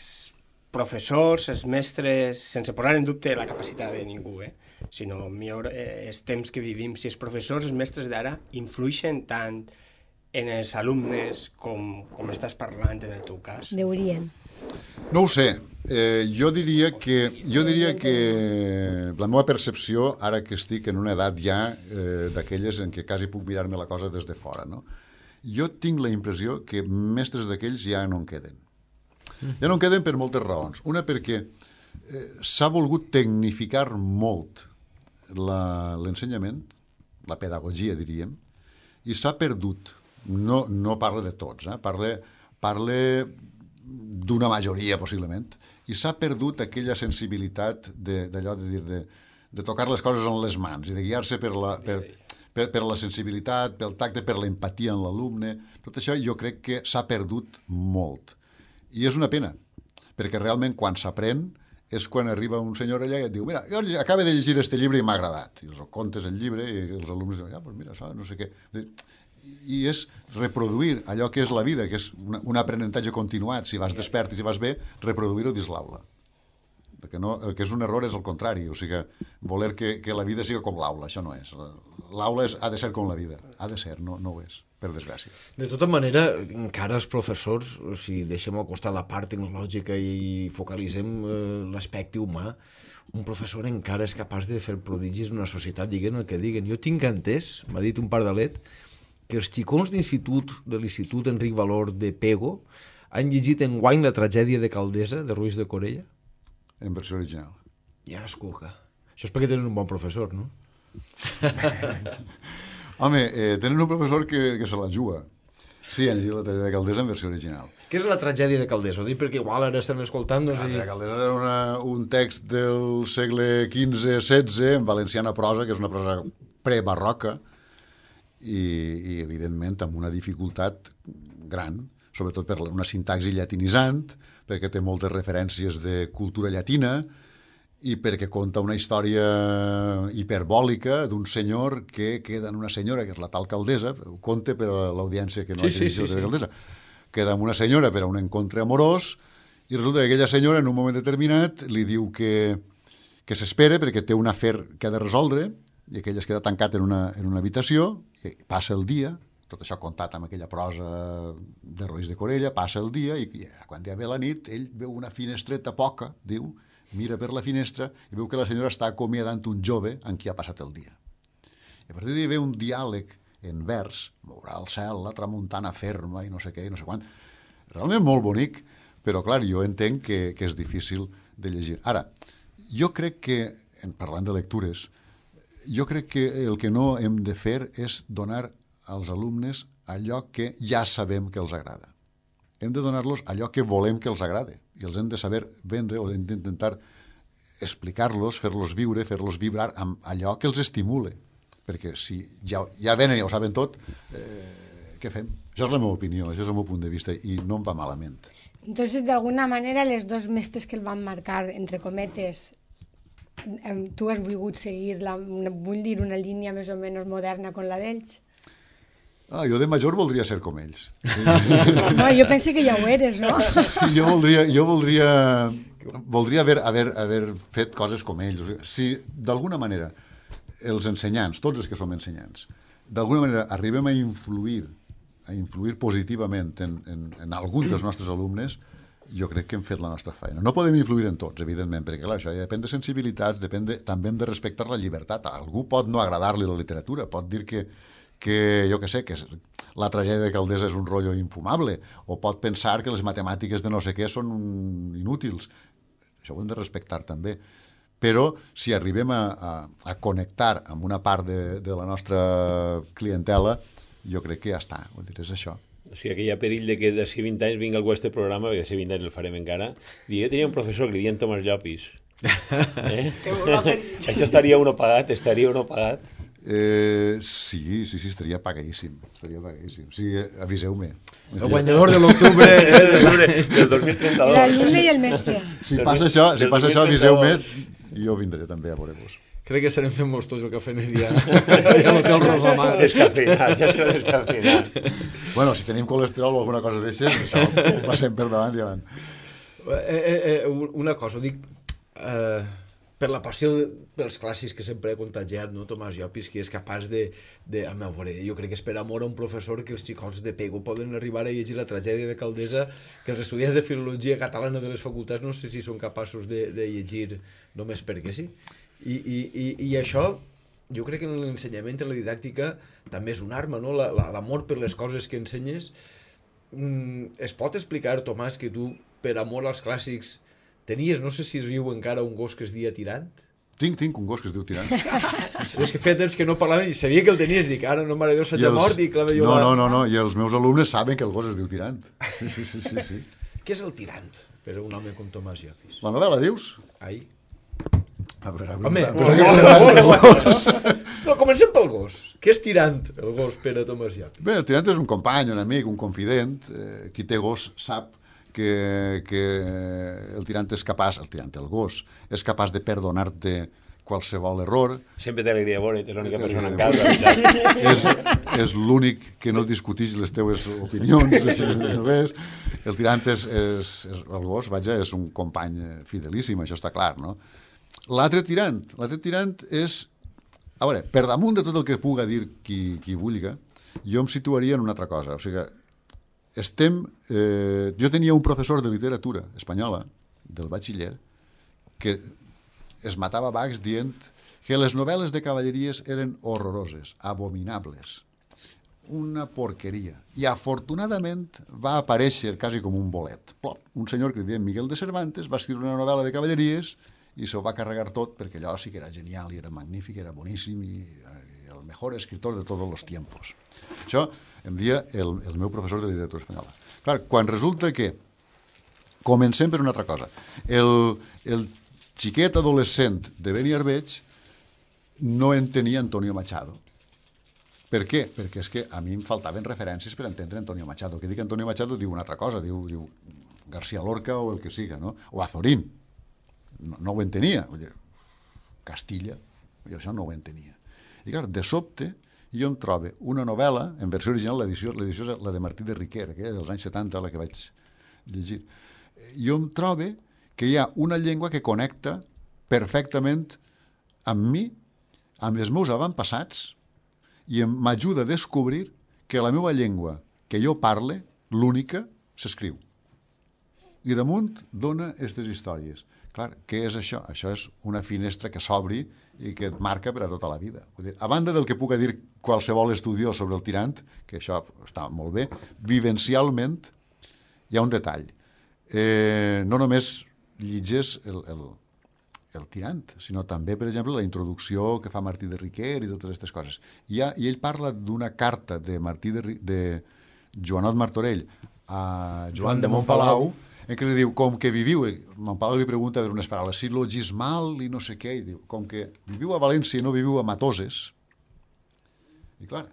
professors, els mestres, sense posar en dubte la capacitat de ningú, eh? sinó millor eh, els temps que vivim, si els professors, els mestres d'ara, influixen tant en els alumnes com, com estàs parlant en el teu cas? Deurien. No ho sé. Eh, jo diria que jo diria que la meva percepció, ara que estic en una edat ja eh, d'aquelles en què quasi puc mirar-me la cosa des de fora, no? Jo tinc la impressió que mestres d'aquells ja no en queden. Ja no en queden per moltes raons. Una, perquè eh, s'ha volgut tecnificar molt l'ensenyament, la, la pedagogia, diríem, i s'ha perdut. No, no parla de tots, eh? parla, parla d'una majoria, possiblement, i s'ha perdut aquella sensibilitat d'allò de, de dir, de, de tocar les coses en les mans i de guiar-se per la, per, per, per la sensibilitat, pel tacte, per l'empatia en l'alumne. Tot això jo crec que s'ha perdut molt. I és una pena, perquè realment quan s'aprèn és quan arriba un senyor allà i et diu, mira, jo acabo de llegir este llibre i m'ha agradat. I els contes el llibre i els alumnes diuen, ja, doncs mira, això, no sé què. I és reproduir allò que és la vida, que és una, un aprenentatge continuat, si vas despert i si vas bé, reproduir-ho dins l'aula. Perquè no, el que és un error és el contrari, o sigui, voler que, que la vida sigui com l'aula, això no és. L'aula ha de ser com la vida, ha de ser, no, no ho és, per desgràcia. De tota manera, encara els professors, si deixem al costat la part tecnològica i focalitzem eh, l'aspecte humà, un professor encara és capaç de fer prodigis en una societat, diguen el que diguen. Jo tinc entès, m'ha dit un pardalet, que els xicons d'institut, de l'Institut Enric Valor de Pego, han llegit enguany La tragèdia de Caldesa, de Ruiz de Corella? En versió original. Ja, escolta. Això és perquè tenen un bon professor, no? Home, eh, tenen un professor que, que se la juga. Sí, han llegit La tragèdia de Caldesa en versió original. Què és La tragèdia de Caldesa? Ho dic perquè igual ara estem escoltant... La tragèdia de Caldesa era una, un text del segle quinze setze, en valenciana prosa, que és una prosa prebarroca, I, i evidentment amb una dificultat gran, sobretot per una sintaxi llatinitzant, perquè té moltes referències de cultura llatina i perquè conta una història hiperbòlica d'un senyor que queda en una senyora, que és la tal Caldesa, ho conta per a l'audiència que no sí, hagi sí, sí, de Caldesa, queda amb una senyora per a un encontre amorós i resulta que aquella senyora en un moment determinat li diu que, que s'espera perquè té un afer que ha de resoldre i aquell es queda tancat en una, en una habitació i passa el dia, tot això contat amb aquella prosa de Roís de Corella, passa el dia i, i quan ja ve la nit ell veu una finestreta poca, diu, mira per la finestra i veu que la senyora està acomiadant un jove amb qui ha passat el dia. I a partir d'ahir ve un diàleg en vers, mourà el cel, la tramuntana ferma i no sé què i no sé quant. Realment molt bonic, però clar, jo entenc que, que és difícil de llegir. Ara, jo crec que, en parlant de lectures, jo crec que el que no hem de fer és donar als alumnes allò que ja sabem que els agrada. Hem de donar-los allò que volem que els agrade i els hem de saber vendre o hem d'intentar explicar-los, fer-los viure, fer-los vibrar amb allò que els estimule. Perquè si ja, ja venen i ja ho saben tot, eh, què fem? Això és la meva opinió, això és el meu punt de vista i no em va malament. Entonces, de alguna manera, les dos mestres que el van marcar, entre cometes, tu has volgut seguir, la, vull dir, una línia més o menys moderna com la d'ells? Ah, jo de major voldria ser com ells. Sí. No, jo penso que ja ho eres, no? Sí, jo voldria, jo voldria, voldria haver, haver, haver fet coses com ells. O sigui, si d'alguna manera els ensenyants, tots els que som ensenyants, d'alguna manera arribem a influir, a influir positivament en, en, en alguns dels nostres alumnes, jo crec que hem fet la nostra feina. No podem influir en tots, evidentment, perquè clar, això ja depèn de sensibilitats, depèn de, també hem de respectar la llibertat. A algú pot no agradar-li la literatura, pot dir que, que jo què sé, que la tragèdia de Calders és un rotllo infumable, o pot pensar que les matemàtiques de no sé què són inútils. Això ho hem de respectar també. Però si arribem a, a, a connectar amb una part de, de la nostra clientela, jo crec que ja està, vull dir, és això. O sigui, que hi ha perill de que d'ací vint anys vinga algú a este programa, perquè d'ací vint anys el farem encara, i jo tenia un professor que li diuen Tomàs Llopis. Eh? Això estaria uno pagat, estaria uno pagat. Eh, sí, sí, sí, estaria pagadíssim, estaria pagadíssim. Sí, aviseu-me. El guanyador de l'octubre del dos mil trenta-dos. L'alumne i el mestre. Si passa això, si passa això aviseu-me i jo vindré també a veure-vos. Crec que estarem fent molts tots el cafè Nedia. Ja l'hotel Rosamar. Descafeinat, ja serà descafeinat. Bueno, si tenim colesterol o alguna cosa d'aixes, això ho passem per davant i davant. Eh, eh, eh, una cosa, ho dic... Eh, per la passió dels clàssics que sempre he contagiat, no? Tomàs Llopis, que és capaç de... de a veure, jo crec que és per amor a un professor que els xicots de Pego poden arribar a llegir la tragèdia de Caldesa, que els estudiants de filologia catalana de les facultats no sé si són capaços de, de llegir només perquè sí. I, i, i, i això, jo crec que en l'ensenyament, en la didàctica, també és una arma, no? L'amor per les coses que ensenyes. Mm, es pot explicar, Tomàs, que tu, per amor als clàssics, tenies, no sé si es viu encara, un gos que es dia Tirant? Tinc, tinc un gos que es diu Tirant. Sí, sí. És que feia temps que no parlaven i sabia que el tenies, dic, ara no mare de Déu s'ha mort i clava jo... No, no, no, no, i els meus alumnes saben que el gos es diu Tirant. Sí, sí, sí, sí, sí. Què és el Tirant, per un home com Tomàs Llopis? La novel·la, dius? Ai. A veure, home, però no, no, comencem pel gos. Què és Tirant, el gos, per a Tomàs Llopis? Bé, el Tirant és un company, un amic, un confident. Eh, qui té gos sap que, que el Tirant és capaç, el Tirant, el gos, és capaç de perdonar-te qualsevol error. Sempre té alegria bona, és l'única persona en casa. És, és l'únic que no discuteix les teves opinions. Res. El Tirant és, és, és, el gos, vaja, és un company fidelíssim, això està clar, no? L'altre Tirant, l'altre Tirant és, a veure, per damunt de tot el que puga dir qui, qui vulga, jo em situaria en una altra cosa, o sigui, estem, eh, jo tenia un professor de literatura espanyola, del batxiller, que es matava bacs dient que les novel·les de cavalleries eren horroroses, abominables, una porqueria. I afortunadament va aparèixer quasi com un bolet. Plop, un senyor que li deia Miguel de Cervantes va escriure una novel·la de cavalleries i s'ho va carregar tot perquè allò sí que era genial i era magnífic, era boníssim i, i el millor escritor de tots els tiempos. Això em dia el, el meu professor de literatura espanyola. Clar, quan resulta que comencem per una altra cosa. El, el xiquet adolescent de Beni Arbeig no entenia Antonio Machado. Per què? Perquè és que a mi em faltaven referències per entendre Antonio Machado. Que dic Antonio Machado diu una altra cosa, diu, diu García Lorca o el que siga, no? O Azorín. No, no ho entenia. Vull dir, Castilla, jo això no ho entenia. I clar, de sobte, i jo em trobo una novel·la, en versió original, l'edició l'edició és la de Martí de Riquer, aquella dels anys setanta, la que vaig llegir. Jo em trobo que hi ha una llengua que connecta perfectament amb mi, amb els meus avantpassats, i m'ajuda a descobrir que la meva llengua que jo parle, l'única, s'escriu. I damunt dona aquestes històries. Clar, què és això? Això és una finestra que s'obri i que et marca per a tota la vida. Vull dir, a banda del que puc dir qualsevol estudiós sobre el tirant, que això està molt bé, vivencialment hi ha un detall. Eh, no només llegeix el, el, el tirant, sinó també, per exemple, la introducció que fa Martí de Riquer i totes aquestes coses. I, ha, i ell parla d'una carta de Martí de, de Joanot Martorell a Joan de Montpalau, en què li diu, com que viviu, Montpalau li pregunta per unes paraules, sil·logismal i no sé què, i diu, com que viviu a València i no viviu a Matoses. I clar,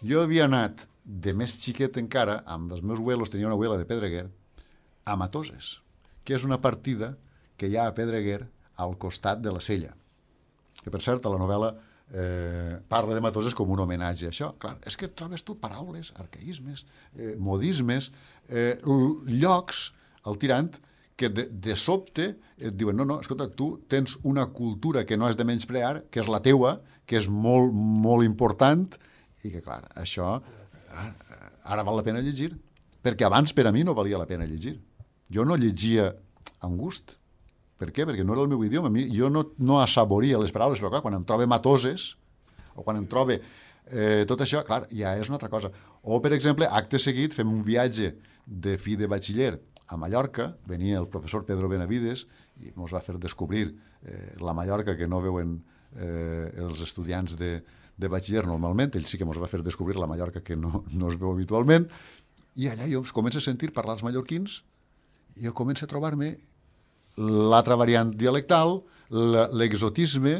jo havia anat de més xiquet encara, amb els meus abuelos, tenia una abuela de Pedreguer, a Matoses, que és una partida que hi ha a Pedreguer al costat de la Sella. Que, per cert, a la novel·la eh, parla de Matoses com un homenatge a això. Clar, és que trobes tu paraules, arcaïsmes, eh, modismes, eh, llocs al tirant que de, de sobte et diuen, no, no, escolta, tu tens una cultura que no has de menysprear, que és la teua, que és molt, molt important, i que, clar, això ara val la pena llegir, perquè abans per a mi no valia la pena llegir. Jo no llegia amb gust. Per què? Perquè no era el meu idioma. A mi, jo no, no assaboria les paraules, però clar, quan em trobe Matoses, o quan em trobe eh, tot això, clar, ja és una altra cosa. O, per exemple, acte seguit, fem un viatge de fi de batxiller a Mallorca, venia el professor Pedro Benavides i ens va fer descobrir eh, la Mallorca que no veuen eh, els estudiants de, de batxiller normalment, ell sí que ens va fer descobrir la Mallorca que no, no es veu habitualment, i allà jo començo a sentir parlar els mallorquins i jo començo a trobar-me l'altra variant dialectal, l'exotisme,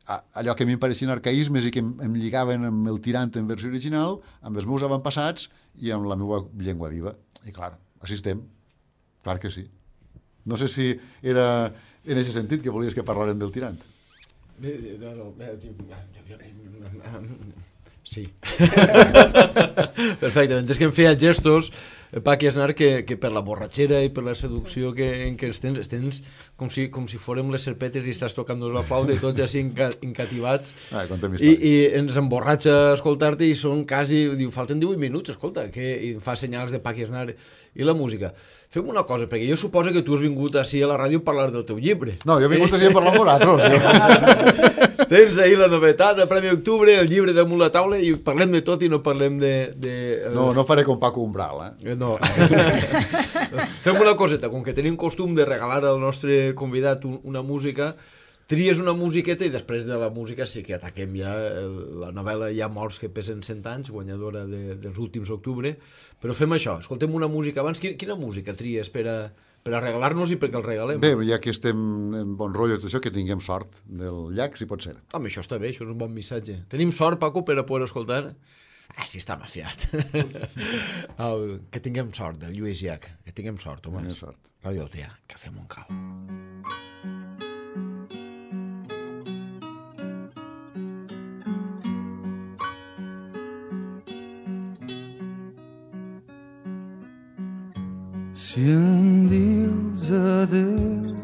allò que a mi em pareixien arcaïsmes i que em, em lligaven amb el tirant en versió original, amb els meus avantpassats i amb la meva llengua viva. I clar, així estem. Clar que sí. No sé si era en aquest sentit que volies que parlarem del tirant. Sí. Perfectament. És que em feia gestos, Paqui Aznar, que, que per la borratxera i per la seducció que, en què els tens, els tens com si, com si fórem les serpetes i estàs tocant la flauta i tots així encativats. Ah, I, i ens emborratxa escoltar-te i són quasi, diu, falten divuit minuts, escolta, que, i fa senyals de Paqui Aznar. I la música. Fem una cosa, perquè jo suposo que tu has vingut així a la ràdio a parlar del teu llibre. No, jo he vingut així a parlar amb vosaltres. Tens ahir la novetat del Premi Octubre, el llibre damunt la taula, i parlem de tot i no parlem de... de no, no faré com Paco Umbral, eh? No. Fem una coseta, com que tenim costum de regalar al nostre convidat una música, tries una musiqueta i després de la música sí que ataquem ja la novel·la Hi ha morts que pesen cent anys, guanyadora de, dels últims octubre, però fem això, escoltem una música abans. Quina, quina música tries per a, per a regalar-nos i perquè el regalem? Bé, ja que estem en bon rotllo tot això, que tinguem sort del llac, si pot ser. Home, això està bé, això és un bon missatge. Tenim sort, Paco, per a poder escoltar? Ah, sí, està mafiat. El, que tinguem sort, del Lluís Llach, que tinguem sort, home. Tinguem sort. Ràdio Altea, Cafè Montcal. Si em dius adeu,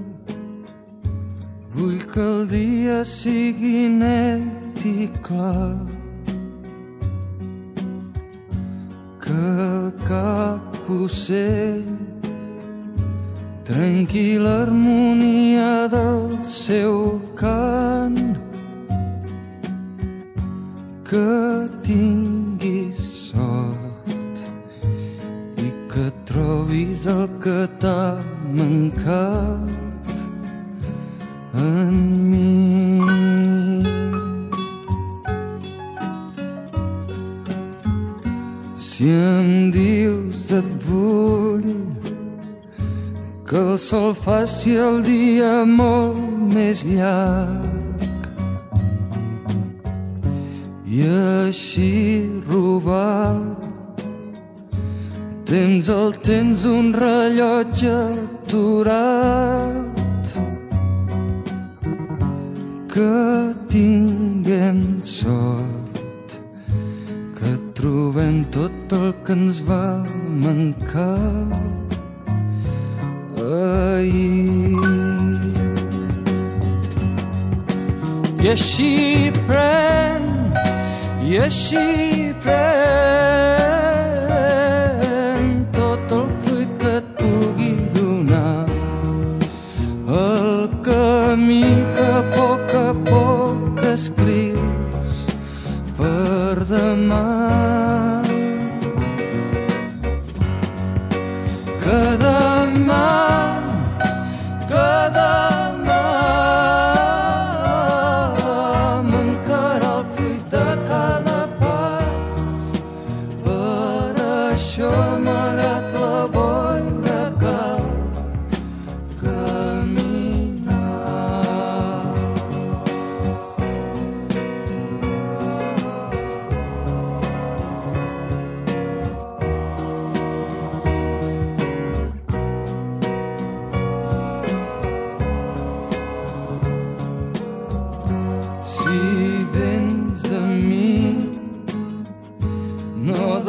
vull que el dia sigui net i clar, que cap ocell trenqui l'harmonia del seu cant, que tinguis sort i que trobis el que t'ha mancat en mi. Si em dius et vull, que el sol faci el dia molt més llarg i així robar temps al temps d'un rellotge aturat, que tinguem sort que ens va mancar ahir. I així pren, i així pren tot el fruit que et pugui donar el camí que a poc a poc escrius per demà. Que demà, que demà mancarà el fruit de cada pas. Per això, malgrat la boira, cal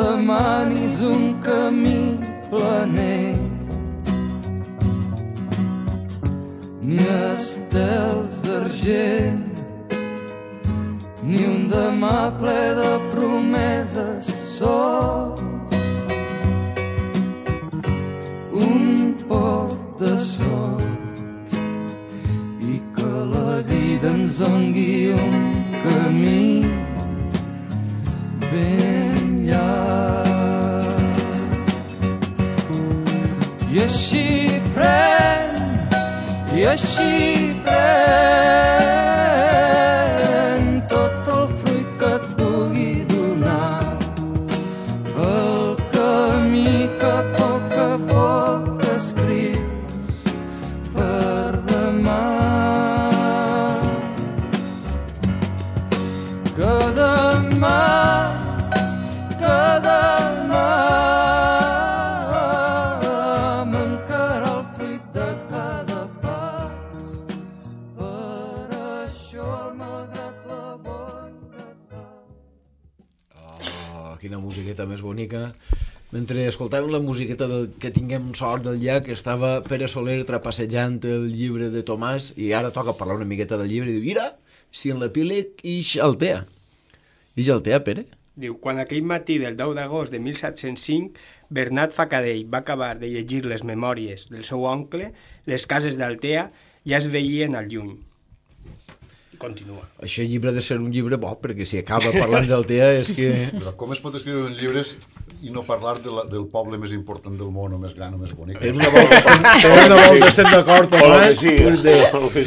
demanis un camí planer, ni estels d'argent, ni un demà ple de promeses sols, un poc de sort, i que la vida ens doni un camí ben llarg. I així pren, i així pren tot el fruit que et pugui donar el camí que a poc a poc escrius per demà. Que demà, que demà mancarà el fruit de cada pas. Per això, malgrat la boira cau. Oh, quina musiqueta més bonica. Mentre escoltàvem la musiqueta del Que tinguem sort del llac, estava Pere Soler trapassejant el llibre de Tomàs i ara toca parlar una miqueta del llibre i diu, mira, si en l'epíleg ix Altea. Ix Altea, Pere? Diu, quan aquell matí del deu d'agost de mil set-cents cinc Bernat Facadell va acabar de llegir les memòries del seu oncle, les cases d'Altea ja es veien al lluny. I continua. Això llibre ha de ser un llibre bo, perquè si acaba parlant d'Altea és que... Però com es pot escriure un llibre i no parlar de la, del poble més important del món, o més gran, o més bonic? Per una volta estem, per una volta estem d'acord, Tomàs. Sí, de...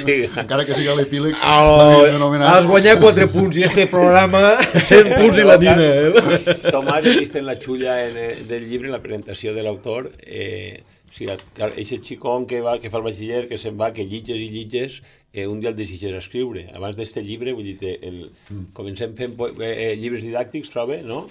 sí. Encara que sigui l'epíleg, oh, has guanyat quatre punts i este programa cent punts i la nina. Eh? Tomàs, he vist en la xulla en, del llibre, en la presentació de l'autor, eh, o sigui, aquest xicón que, va, que fa el batxiller, que se'n va, que llitges i llitges, eh, un dia el decideix escriure. Abans d'este llibre, vull dir, el, comencem fent eh, llibres didàctics, troba, no?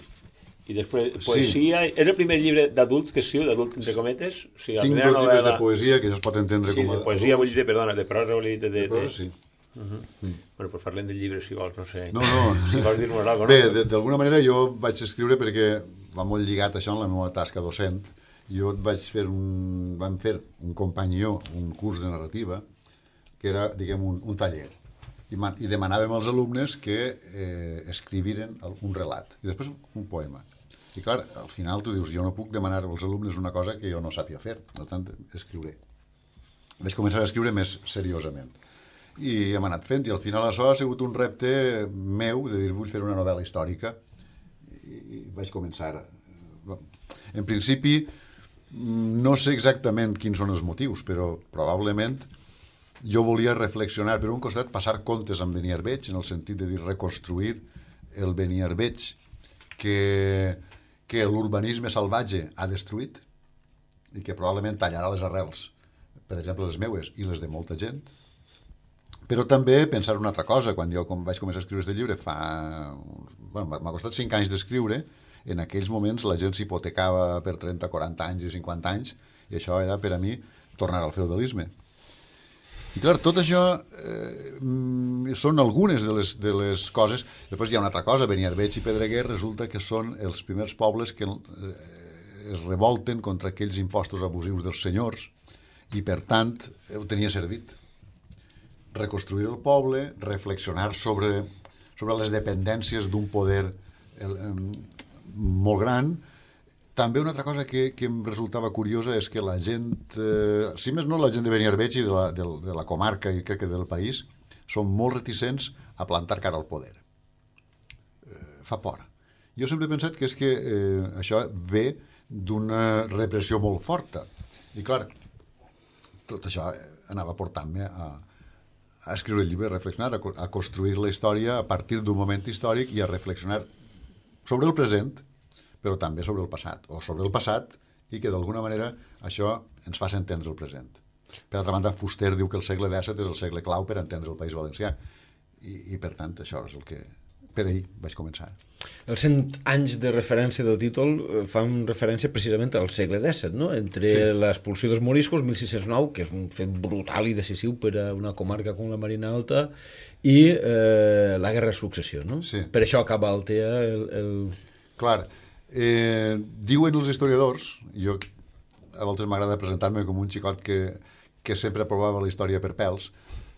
I després poesia... Sí. És el primer llibre d'adults que escriu, d'adult entre cometes? O sigui, Tinc dos novel·la... llibres de poesia que ja es pot entendre sí, com a... de poesia, vull dir, perdona, de prosa, vull dir... De, de, de prosa, sí. Uh -huh. mm. Bueno, pues parlem del llibre, si vols, no sé. No, no. Si vols dir-nos alguna cosa, no? Bé, d'alguna manera jo vaig escriure perquè va molt lligat això en la meva tasca docent. Jo vaig fer un... vam fer un companyó, un curs de narrativa, que era, diguem, un, un taller. I, man, i demanàvem als alumnes que eh, escriviren un relat. I després un poema. I clar, al final tu dius, jo no puc demanar als alumnes una cosa que jo no sàpia fer, per tant, escriuré. Vaig començar a escriure més seriosament. I hem anat fent, i al final això ha sigut un repte meu, de dir, vull fer una novel·la històrica, i vaig començar. En principi, no sé exactament quins són els motius, però probablement jo volia reflexionar, per un costat, passar comptes amb Beniarbeig, en el sentit de dir, reconstruir el Beniarbeig que... que l'urbanisme salvatge ha destruït i que probablement tallarà les arrels, per exemple les meues i les de molta gent, però també pensar una altra cosa. Quan jo com vaig començar a escriure aquest llibre fa... Bueno, m'ha costat cinc anys d'escriure, en aquells moments la gent s'hipotecava per trenta, quaranta anys i cinquanta anys, i això era per a mi tornar al feudalisme. I clar, tot això eh, són algunes de les, de les coses. Després hi ha una altra cosa, Beniarbeig i Pedreguer resulta que són els primers pobles que eh, es revolten contra aquells impostos abusius dels senyors i, per tant, ho tenia servit. Reconstruir el poble, reflexionar sobre, sobre les dependències d'un poder el, eh, molt gran. També una altra cosa que, que em resultava curiosa és que la gent, eh, si més no la gent de Beniarbeig i de la, de, de la comarca i crec que del país, són molt reticents a plantar cara al poder. Eh, fa por. Jo sempre he pensat que és que eh, això ve d'una repressió molt forta. I clar, tot això anava portant-me a, a escriure el llibre, a reflexionar, a, a construir la història a partir d'un moment històric i a reflexionar sobre el present, però també sobre el passat, o sobre el passat, i que d'alguna manera això ens fa entendre el present. Per altra banda, Fuster diu que el segle disset és el segle clau per entendre el País Valencià, i, i per tant això és el que per ahir vaig començar. Els cent anys de referència del títol fan referència precisament al segle disset, no? Entre sí. l'expulsió dels moriscos, mil sis-cents nou, que és un fet brutal i decisiu per a una comarca com la Marina Alta, i eh, la Guerra de Successió, no? Sí. Per això acaba Altea el... el... Clar, eh, diuen els historiadors, jo a voltes m'agrada presentar-me com un xicot que, que sempre aprovava la història per pèls,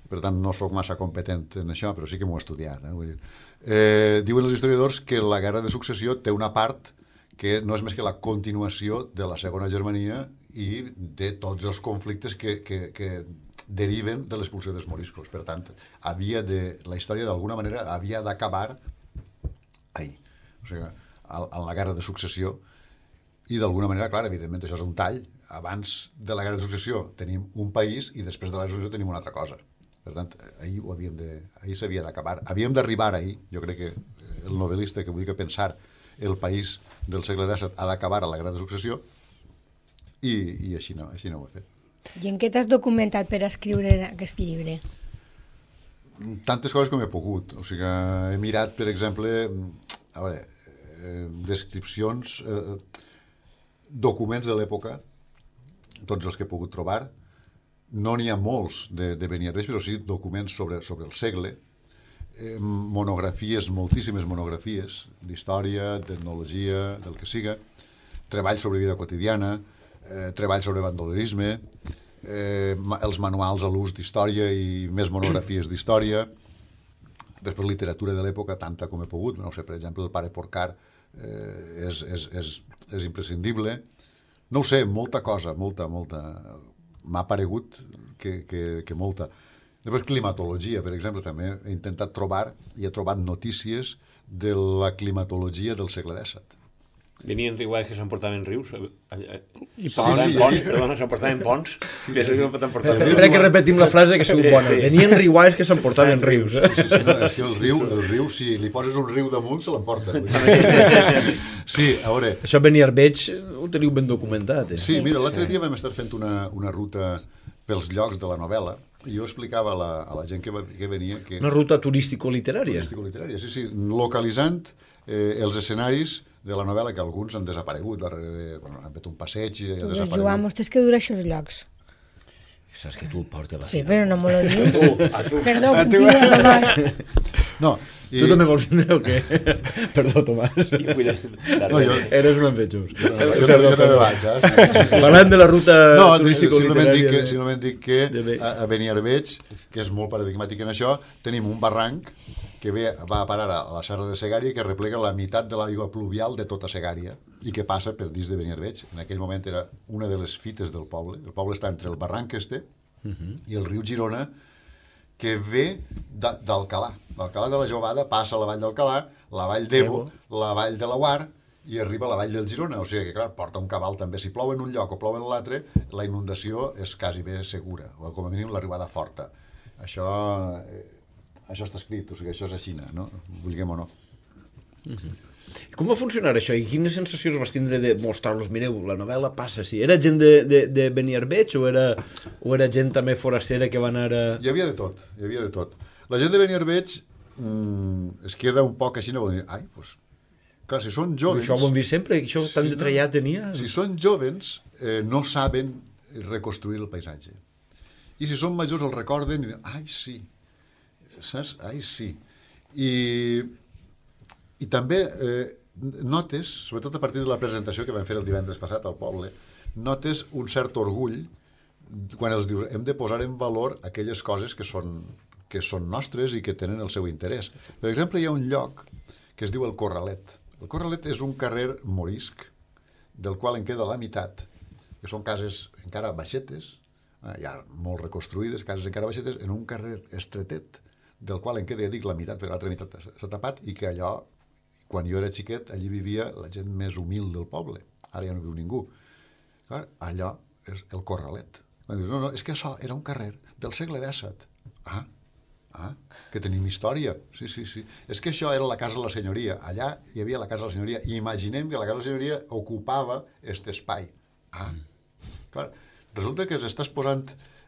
per tant no sóc massa competent en això, però sí que m'ho he estudiat. Eh? Vull dir, eh, diuen els historiadors que la Guerra de Successió té una part que no és més que la continuació de la Segona Germania i de tots els conflictes que, que, que deriven de l'expulsió dels moriscos. Per tant, havia de, la història d'alguna manera havia d'acabar ahir. O sigui, en la Guerra de Successió, i d'alguna manera, clar, evidentment això és un tall. Abans de la Guerra de Successió tenim un país i després de la Guerra de Successió tenim una altra cosa. Per tant, ahir ho havíem de, ahir s'havia d'acabar. Havíem d'arribar ahir. Jo crec que el novel·lista que vulgui pensar el país del segle disset ha d'acabar a la Guerra de Successió i, i així, no, així no ho he fet. I en què t'has documentat per escriure aquest llibre? Tantes coses com he pogut. O sigui, he mirat, per exemple, a veure, eh, descripcions, eh, documents de l'època, tots els que he pogut trobar. No n'hi ha molts de, de Beniarbeig, però sí documents sobre, sobre el segle, eh, monografies, moltíssimes monografies d'història, d'etnologia, del que siga, treballs sobre vida quotidiana, eh, treballs sobre bandolerisme, eh, els manuals a l'ús d'història i més monografies d'història, després literatura de l'època, tanta com he pogut, no sé, per exemple, el pare Porcar eh, és, és, és, és imprescindible. No ho sé, molta cosa, molta, molta... M'ha paregut que, que, que molta. Després climatologia, per exemple, també he intentat trobar i he trobat notícies de la climatologia del segle disset. Venien riguais que s'emportaven rius? I ponts, sí, sí, ponts, perdona, s'emportaven ponts? Sí, Crec que repetim la frase que sigut bona. Venien riguais que s'emportaven rius. Eh? Sí, sí, sí, no, és que el riu, el riu, si li poses un riu damunt, se l'emporta. Sí, a veure... Això Beniarbeig ho teniu ben documentat. Eh? Sí, mira, l'altre dia vam estar fent una, una ruta pels llocs de la novel·la i jo explicava a la, a la gent que, va, que venia... Que... Una ruta turístico-literària. Turístico-literària, sí, sí, localitzant eh, els escenaris de la novel·la, que alguns han desaparegut darrere de... Bueno, han fet un passeig i han desaparegut. Joan, vostès que dura això els llocs? Saps que tu el portes la Sí, però no me lo dius. A tu, a tu. Perdó, continua, Tomàs. No, i... Tu també vols vindre o què? Perdó, Tomàs. No, jo... Eres un envejós. Jo, jo, jo, jo, jo també vaig, eh? Parlant de la ruta no, turístico-literària... No, simplement dic que a, a Beniarbeig, que és molt paradigmàtic en això, tenim un barranc que ve, va a parar a la serra de Segària, que replega la meitat de l'aigua pluvial de tota Segària i que passa per dins de Beniarbeig. En aquell moment era una de les fites del poble. El poble està entre el barranc este uh -huh. i el riu Girona, que ve d'Alcalà. D'Alcalà de la Jovada passa a la vall d'Alcalà, la vall d'Ebo, la vall de la Guar i arriba a la vall del Girona. O sigui que, clar, porta un cabal també. Si plou en un lloc o plou en l'altre, la inundació és quasi bé segura, o com a mínim l'arribada forta. Això... Eh, això està escrit, o sigui, això és a Xina, no? Vulguem o no. Uh-huh. Com va funcionar això? I quines sensacions vas tindre de mostrar-los? Mireu, la novel·la passa així. Era gent de, de, de Beniarbeig o era, o era gent també forastera que va anar a... Hi havia de tot, hi havia de tot. La gent de Beniarbeig mmm, es queda un poc així, no vol dir, ai, doncs... Clar, si són jovens... Això ho hem vist sempre, que això tan si detallat no, tenia... Si són jovens, eh, no saben reconstruir el paisatge. I si són majors el recorden i diuen, ai, sí, saps? Ai, sí. I, i també eh, notes, sobretot a partir de la presentació que vam fer el divendres passat al poble, notes un cert orgull quan els dius, hem de posar en valor aquelles coses que són, que són nostres i que tenen el seu interès. Per exemple, hi ha un lloc que es diu el Corralet. El Corralet és un carrer morisc del qual en queda la meitat, que són cases encara baixetes, ja molt reconstruïdes, cases encara baixetes, en un carrer estretet, del qual en queda, ja dic, la meitat, perquè l'altra meitat s'ha tapat, i que allò, quan jo era xiquet, allí vivia la gent més humil del poble. Ara ja no viu ningú. Clar, allò és el Corralet. Van dir, no, no, és que això era un carrer del segle dèsset. Ah, ah, que tenim història. Sí, sí, sí. És que això era la casa de la senyoria. Allà hi havia la casa de la senyoria. I imaginem que la casa de la senyoria ocupava aquest espai. Ah, clar. Resulta que s'estàs posant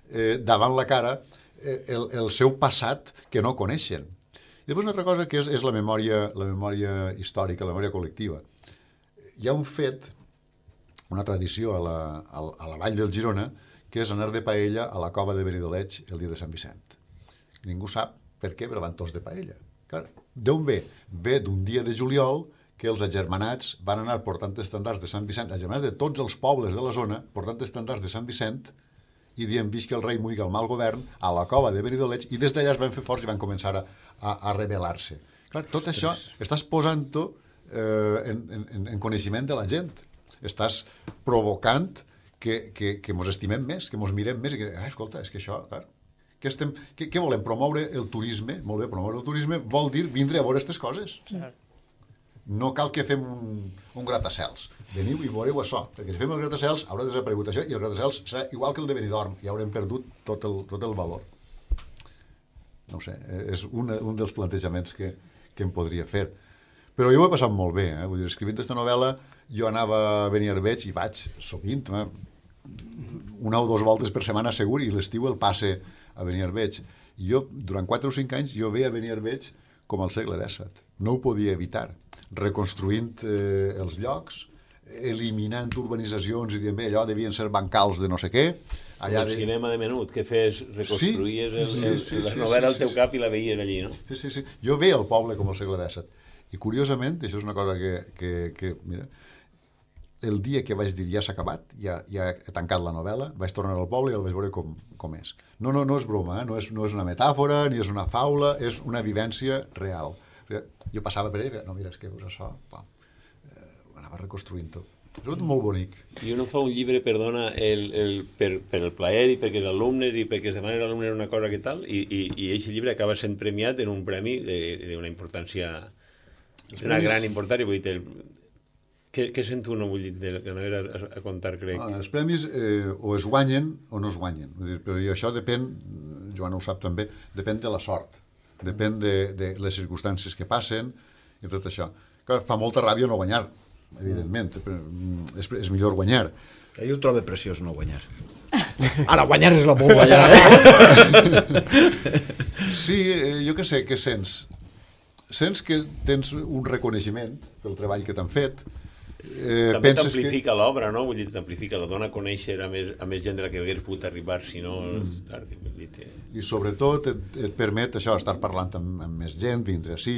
eh, davant la cara eh, el, el seu passat que no coneixen. I després una altra cosa que és, és la, memòria, la memòria històrica, la memòria col·lectiva. Hi ha un fet, una tradició a la, a, a la Vall del Girona, que és anar de paella a la cova de Benidoleig el dia de Sant Vicent. Ningú sap per què, però van tots de paella. Clar, d'on ve? Ve d'un dia de juliol que els agermanats van anar portant estandards de Sant Vicent, agermanats de tots els pobles de la zona, portant estandards de Sant Vicent, i dient, visca el rei, muiga el mal govern, a la cova de Benidoleig, i des d'allà es van fer forts i van començar a, a, a rebel·lar-se. Clar, tot això estàs posant-ho eh, en, en, en coneixement de la gent. Estàs provocant que, que, que mos estimem més, que mos mirem més, i que, ah, escolta, és que això, clar, què, estem, què, què volem? Promoure el turisme? Molt bé, promoure el turisme vol dir vindre a veure aquestes coses. Clar. No cal que fem un, un gratacels. Veniu i veureu això, perquè si fem el gratacels haurà desaparegut això i el gratacels serà igual que el de Benidorm i haurem perdut tot el, tot el valor. No ho sé, és una, un dels plantejaments que, que em podria fer. Però jo ho he passat molt bé, eh? Vull dir, escrivint aquesta novel·la jo anava a Beniarbeig i vaig sovint, eh? una o dues voltes per setmana segur, i l'estiu el passe a Beniarbeig. I jo, durant quatre o cinc anys, jo veia Beniarbeig com al segle dèsset. No ho podia evitar. Reconstruint eh, els llocs, eliminant urbanitzacions i dient, bé, allò devien ser bancals de no sé què. Allà el de... cinema de menut, que fes, reconstruïes sí, el, el, sí, sí, la novel·la sí, al teu sí, cap i la veies allí, no? Sí, sí, sí. Jo veia el poble com al segle dèsset. I curiosament, això és una cosa que, que, que mira, el dia que vaig dir ja s'ha acabat, ja, ja he tancat la novel·la, vaig tornar al poble i el vaig veure com, com és. No, no, no és broma, eh? no, és, no és una metàfora, ni és una faula, és una vivència real. Jo passava per ell i feia, no, mira, és que veus això, pam, eh, anava reconstruint-ho. És tot molt bonic. I uno fa un llibre, perdona, el, el, per, per el plaer i perquè els alumnes i perquè es demana l'alumne una cosa que tal, i, i, i aquest llibre acaba sent premiat en un premi d'una importància, d'una gran importància, vull dir, el, què, què sento uno, vull dir, de que no era a, a contar, crec? Ah, els premis eh, o es guanyen o no es guanyen, vull dir, però això depèn, Joana ho sap també, depèn de la sort. Depèn de, de les circumstàncies que passen i tot això. Clar, fa molta ràbia no guanyar, evidentment. És, és millor guanyar. Jo ho trobo preciós no guanyar. Ara, guanyar és la por guanyar, eh? Sí, jo què sé, què sents? Sents que tens un reconeixement pel treball que t'han fet. Eh, També t'amplifica que... l'obra, no? Vull dir, t'amplifica, la dona a conèixer a més, a més gent de la que hagués pogut arribar, si no... Mm. Dir, I sobretot et, et permet això, estar parlant amb, amb més gent, vindre així,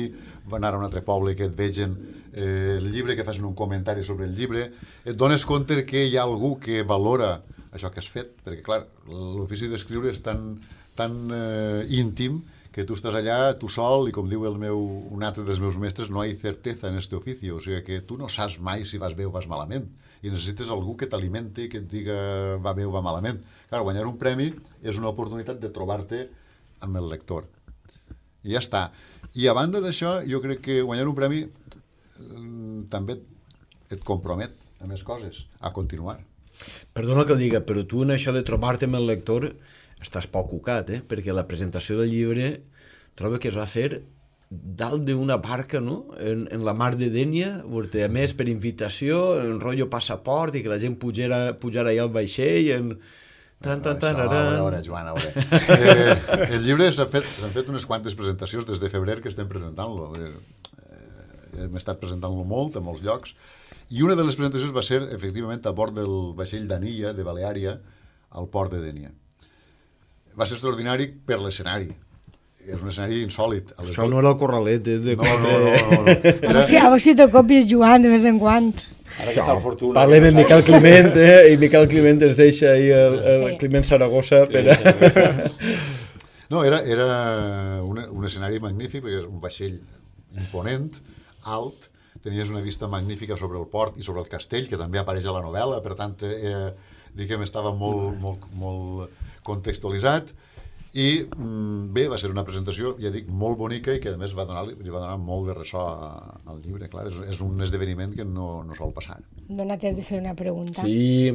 anar a un altre poble que et vegen eh, el llibre, que facin un comentari sobre el llibre, et dones compte que hi ha algú que valora això que has fet, perquè clar, l'ofici d'escriure és tan, tan eh, íntim que tu estàs allà, tu sol, i com diu el meu, un altre dels meus mestres, no hi ha certeza en este oficio, o sigui que tu no saps mai si vas bé o vas malament, i necessites algú que t'alimenti, que et diga va bé o va malament. Clar, guanyar un premi és una oportunitat de trobar-te amb el lector. I ja està. I a banda d'això, jo crec que guanyar un premi eh, també et compromet a més coses, a continuar. Perdona que ho diga, però tu en això de trobar-te amb el lector estàs poc cucat, eh? Perquè la presentació del llibre trobo que es va fer dalt d'una barca, no? En, en la mar de Dénia, a més per invitació, en rotllo passaport, i que la gent pujara, pujara allà al vaixell, en... Tan, tan, tan, a veure, a veure, Joan, a veure. Eh, el llibre s'han fet, s'han fet unes quantes presentacions des de febrer que estem presentant-lo. Eh, hem estat presentant-lo molt, a molts llocs, i una de les presentacions va ser, efectivament, a bord del vaixell d'Anilla, de Baleària, al port de Dénia. Va ser extraordinari per l'escenari. és un escenari insòlid. A les Això do- no era el corralet, eh, de No, no, no, no, no. A veure Era, si, a veure si te copies jugant de vez en quan. Ara que està el Fortuna... Parlem amb Miquel Climent, eh? I Miquel Climent es deixa ahir el, el Sí. Climent Saragossa per a... no, era, era un, un escenari magnífic, perquè és un vaixell imponent, alt, tenies una vista magnífica sobre el port i sobre el castell, que també apareix a la novel·la, per tant, era, diguem, estava molt, molt, molt contextualitzat, i mm, bé, va ser una presentació, ja dic, molt bonica i que a més va donar, li va donar molt de ressò a- al llibre, clar, és, és un esdeveniment que no, no sol passar. Dona temps de fer una pregunta. Sí,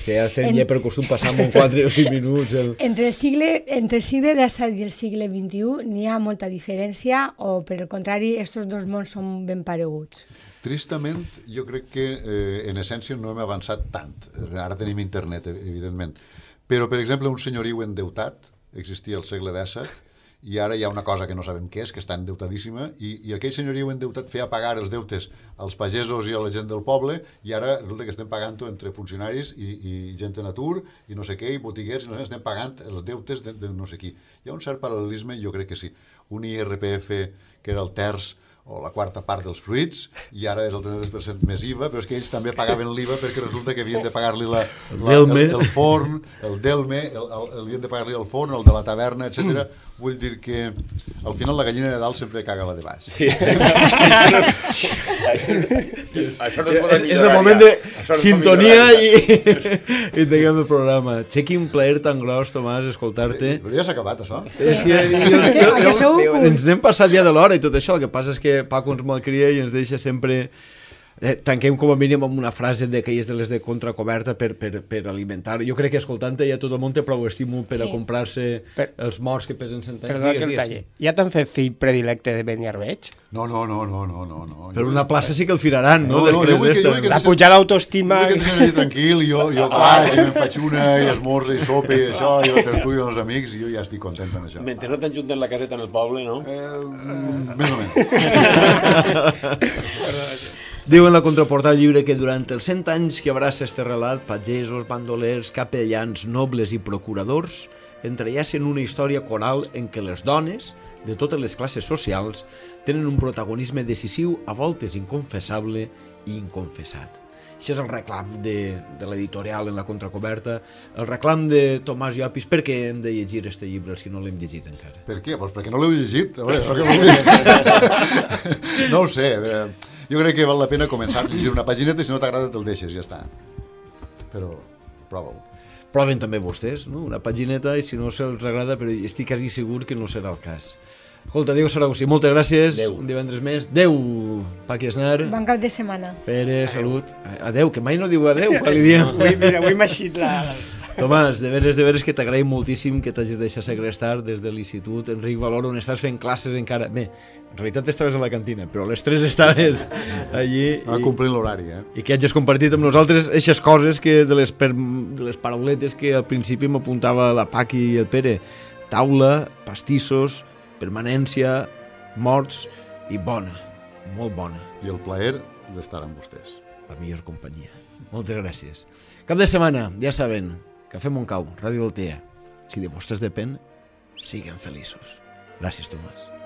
ja estem ja per costum passar en quatre o cinc minuts. El... Entre el segle, entre el segle disset i el segle vint-i-u n'hi ha molta diferència o, per el contrari, estos dos mons són ben pareguts? Tristament, jo crec que eh, en essència no hem avançat tant. Ara tenim internet, evidentment. Però, per exemple, un senyoriu endeutat existia al segle disset i ara hi ha una cosa que no sabem què és, que està endeutadíssima, i, i aquell senyoriu endeutat feia pagar els deutes als pagesos i a la gent del poble, i ara resulta que estem pagant-ho entre funcionaris i, i gent en atur, i no sé què, i botiguers, i no sé, estem pagant els deutes de, de no sé qui. Hi ha un cert paral·lelisme, jo crec que sí. Un I R P F que era el terç o la quarta part dels fruits, i ara és el trenta-tres per cent més I V A, però és que ells també pagaven l'I V A perquè resulta que havien de pagar-li la, la, el, el forn, el delme, el, el, el, havien de pagar-li el forn, el de la taverna, etcètera. Vull dir que al final la gallina de dalt sempre caga la de baix. Sí. Això no es pot És, és el millorar moment ja. de Això no es pot sintonia millorar i, ja. i tanquem el programa. Che, quin plaer tan gros, Tomàs, escoltar-te. Però ja s'ha acabat, això. És que, jo, jo, Que sou jo, un. ens n'hem passat ja de l'hora i tot això. El que passa és que Paco ens malcria i ens deixa sempre... Eh, tanquem com a mínim amb una frase d'aquelles de les de contracoberta per, per, per alimentar. Jo crec que escoltant-te ja tot el món té prou estímul per Sí. a comprar-se Per- els morts que pesen cent anys. Perdona que el Digues, talle. digues. Ja t'han fet fill predilecte de Beniarbeig? No, no, no, no, no, no. no. Per una plaça sí que el firaran, no? No, no, jo vull que- jo vull que- La pujada d'autoestima... Jo que tenia allà tranquil, jo, jo vaig i me'n faig una, i esmorza i sopa i això, i la tertúlia amb els amics, i jo ja estic content amb això. Mentre no t'enjunten la caseta en el poble, no? Eh, més o menys. Diu en la contraportada del llibre que durant els cent anys que abraça este relat, pagesos, bandolers, capellans, nobles i procuradors entrellacen una història coral en què les dones, de totes les classes socials, tenen un protagonisme decisiu, a voltes inconfessable i inconfessat. Això és el reclam de, de l'editorial en la contracoberta, el reclam de Tomàs Llopis. Per què hem de llegir este llibre si no l'hem llegit encara? Per què? Pues perquè no l'heu llegit. A veure, això que vol dir. No ho sé. eh, Jo crec que val la pena començar a llegir una pagineta i si no t'agrada te'l deixes, ja està. Però prova-ho. Proven també vostès, no? Una pagineta i si no se'ls agrada, però estic quasi segur que no serà el cas. Escolta, Diego Saragossa, moltes gràcies. Adéu. Un divendres més. Adéu, Paqui Esnar. Bon cap de setmana. Pere, salut. Adéu, que mai no diu adéu quan li diem. Avui, mira, avui m'ha eixit la... Tomàs, de veres, de veres que t'agraïm moltíssim que t'hagis deixat segrestar des de l'institut Enric Valor, on estàs fent classes encara. Bé, en realitat estaves a la cantina, però a les tres estaves allí. Va complint l'horari, eh? I que hagis compartit amb nosaltres aquestes coses que de les, per, de les parauletes que al principi m'apuntava la Paqui i el Pere. Taula, pastissos, permanència, morts i bona, molt bona. I el plaer d'estar amb vostès. La millor companyia. Moltes gràcies. Cap de setmana, ja saben, Cafè Montcau, Ràdio Altea. Si de vostès depèn, siguen feliços. Gràcies, Tomàs.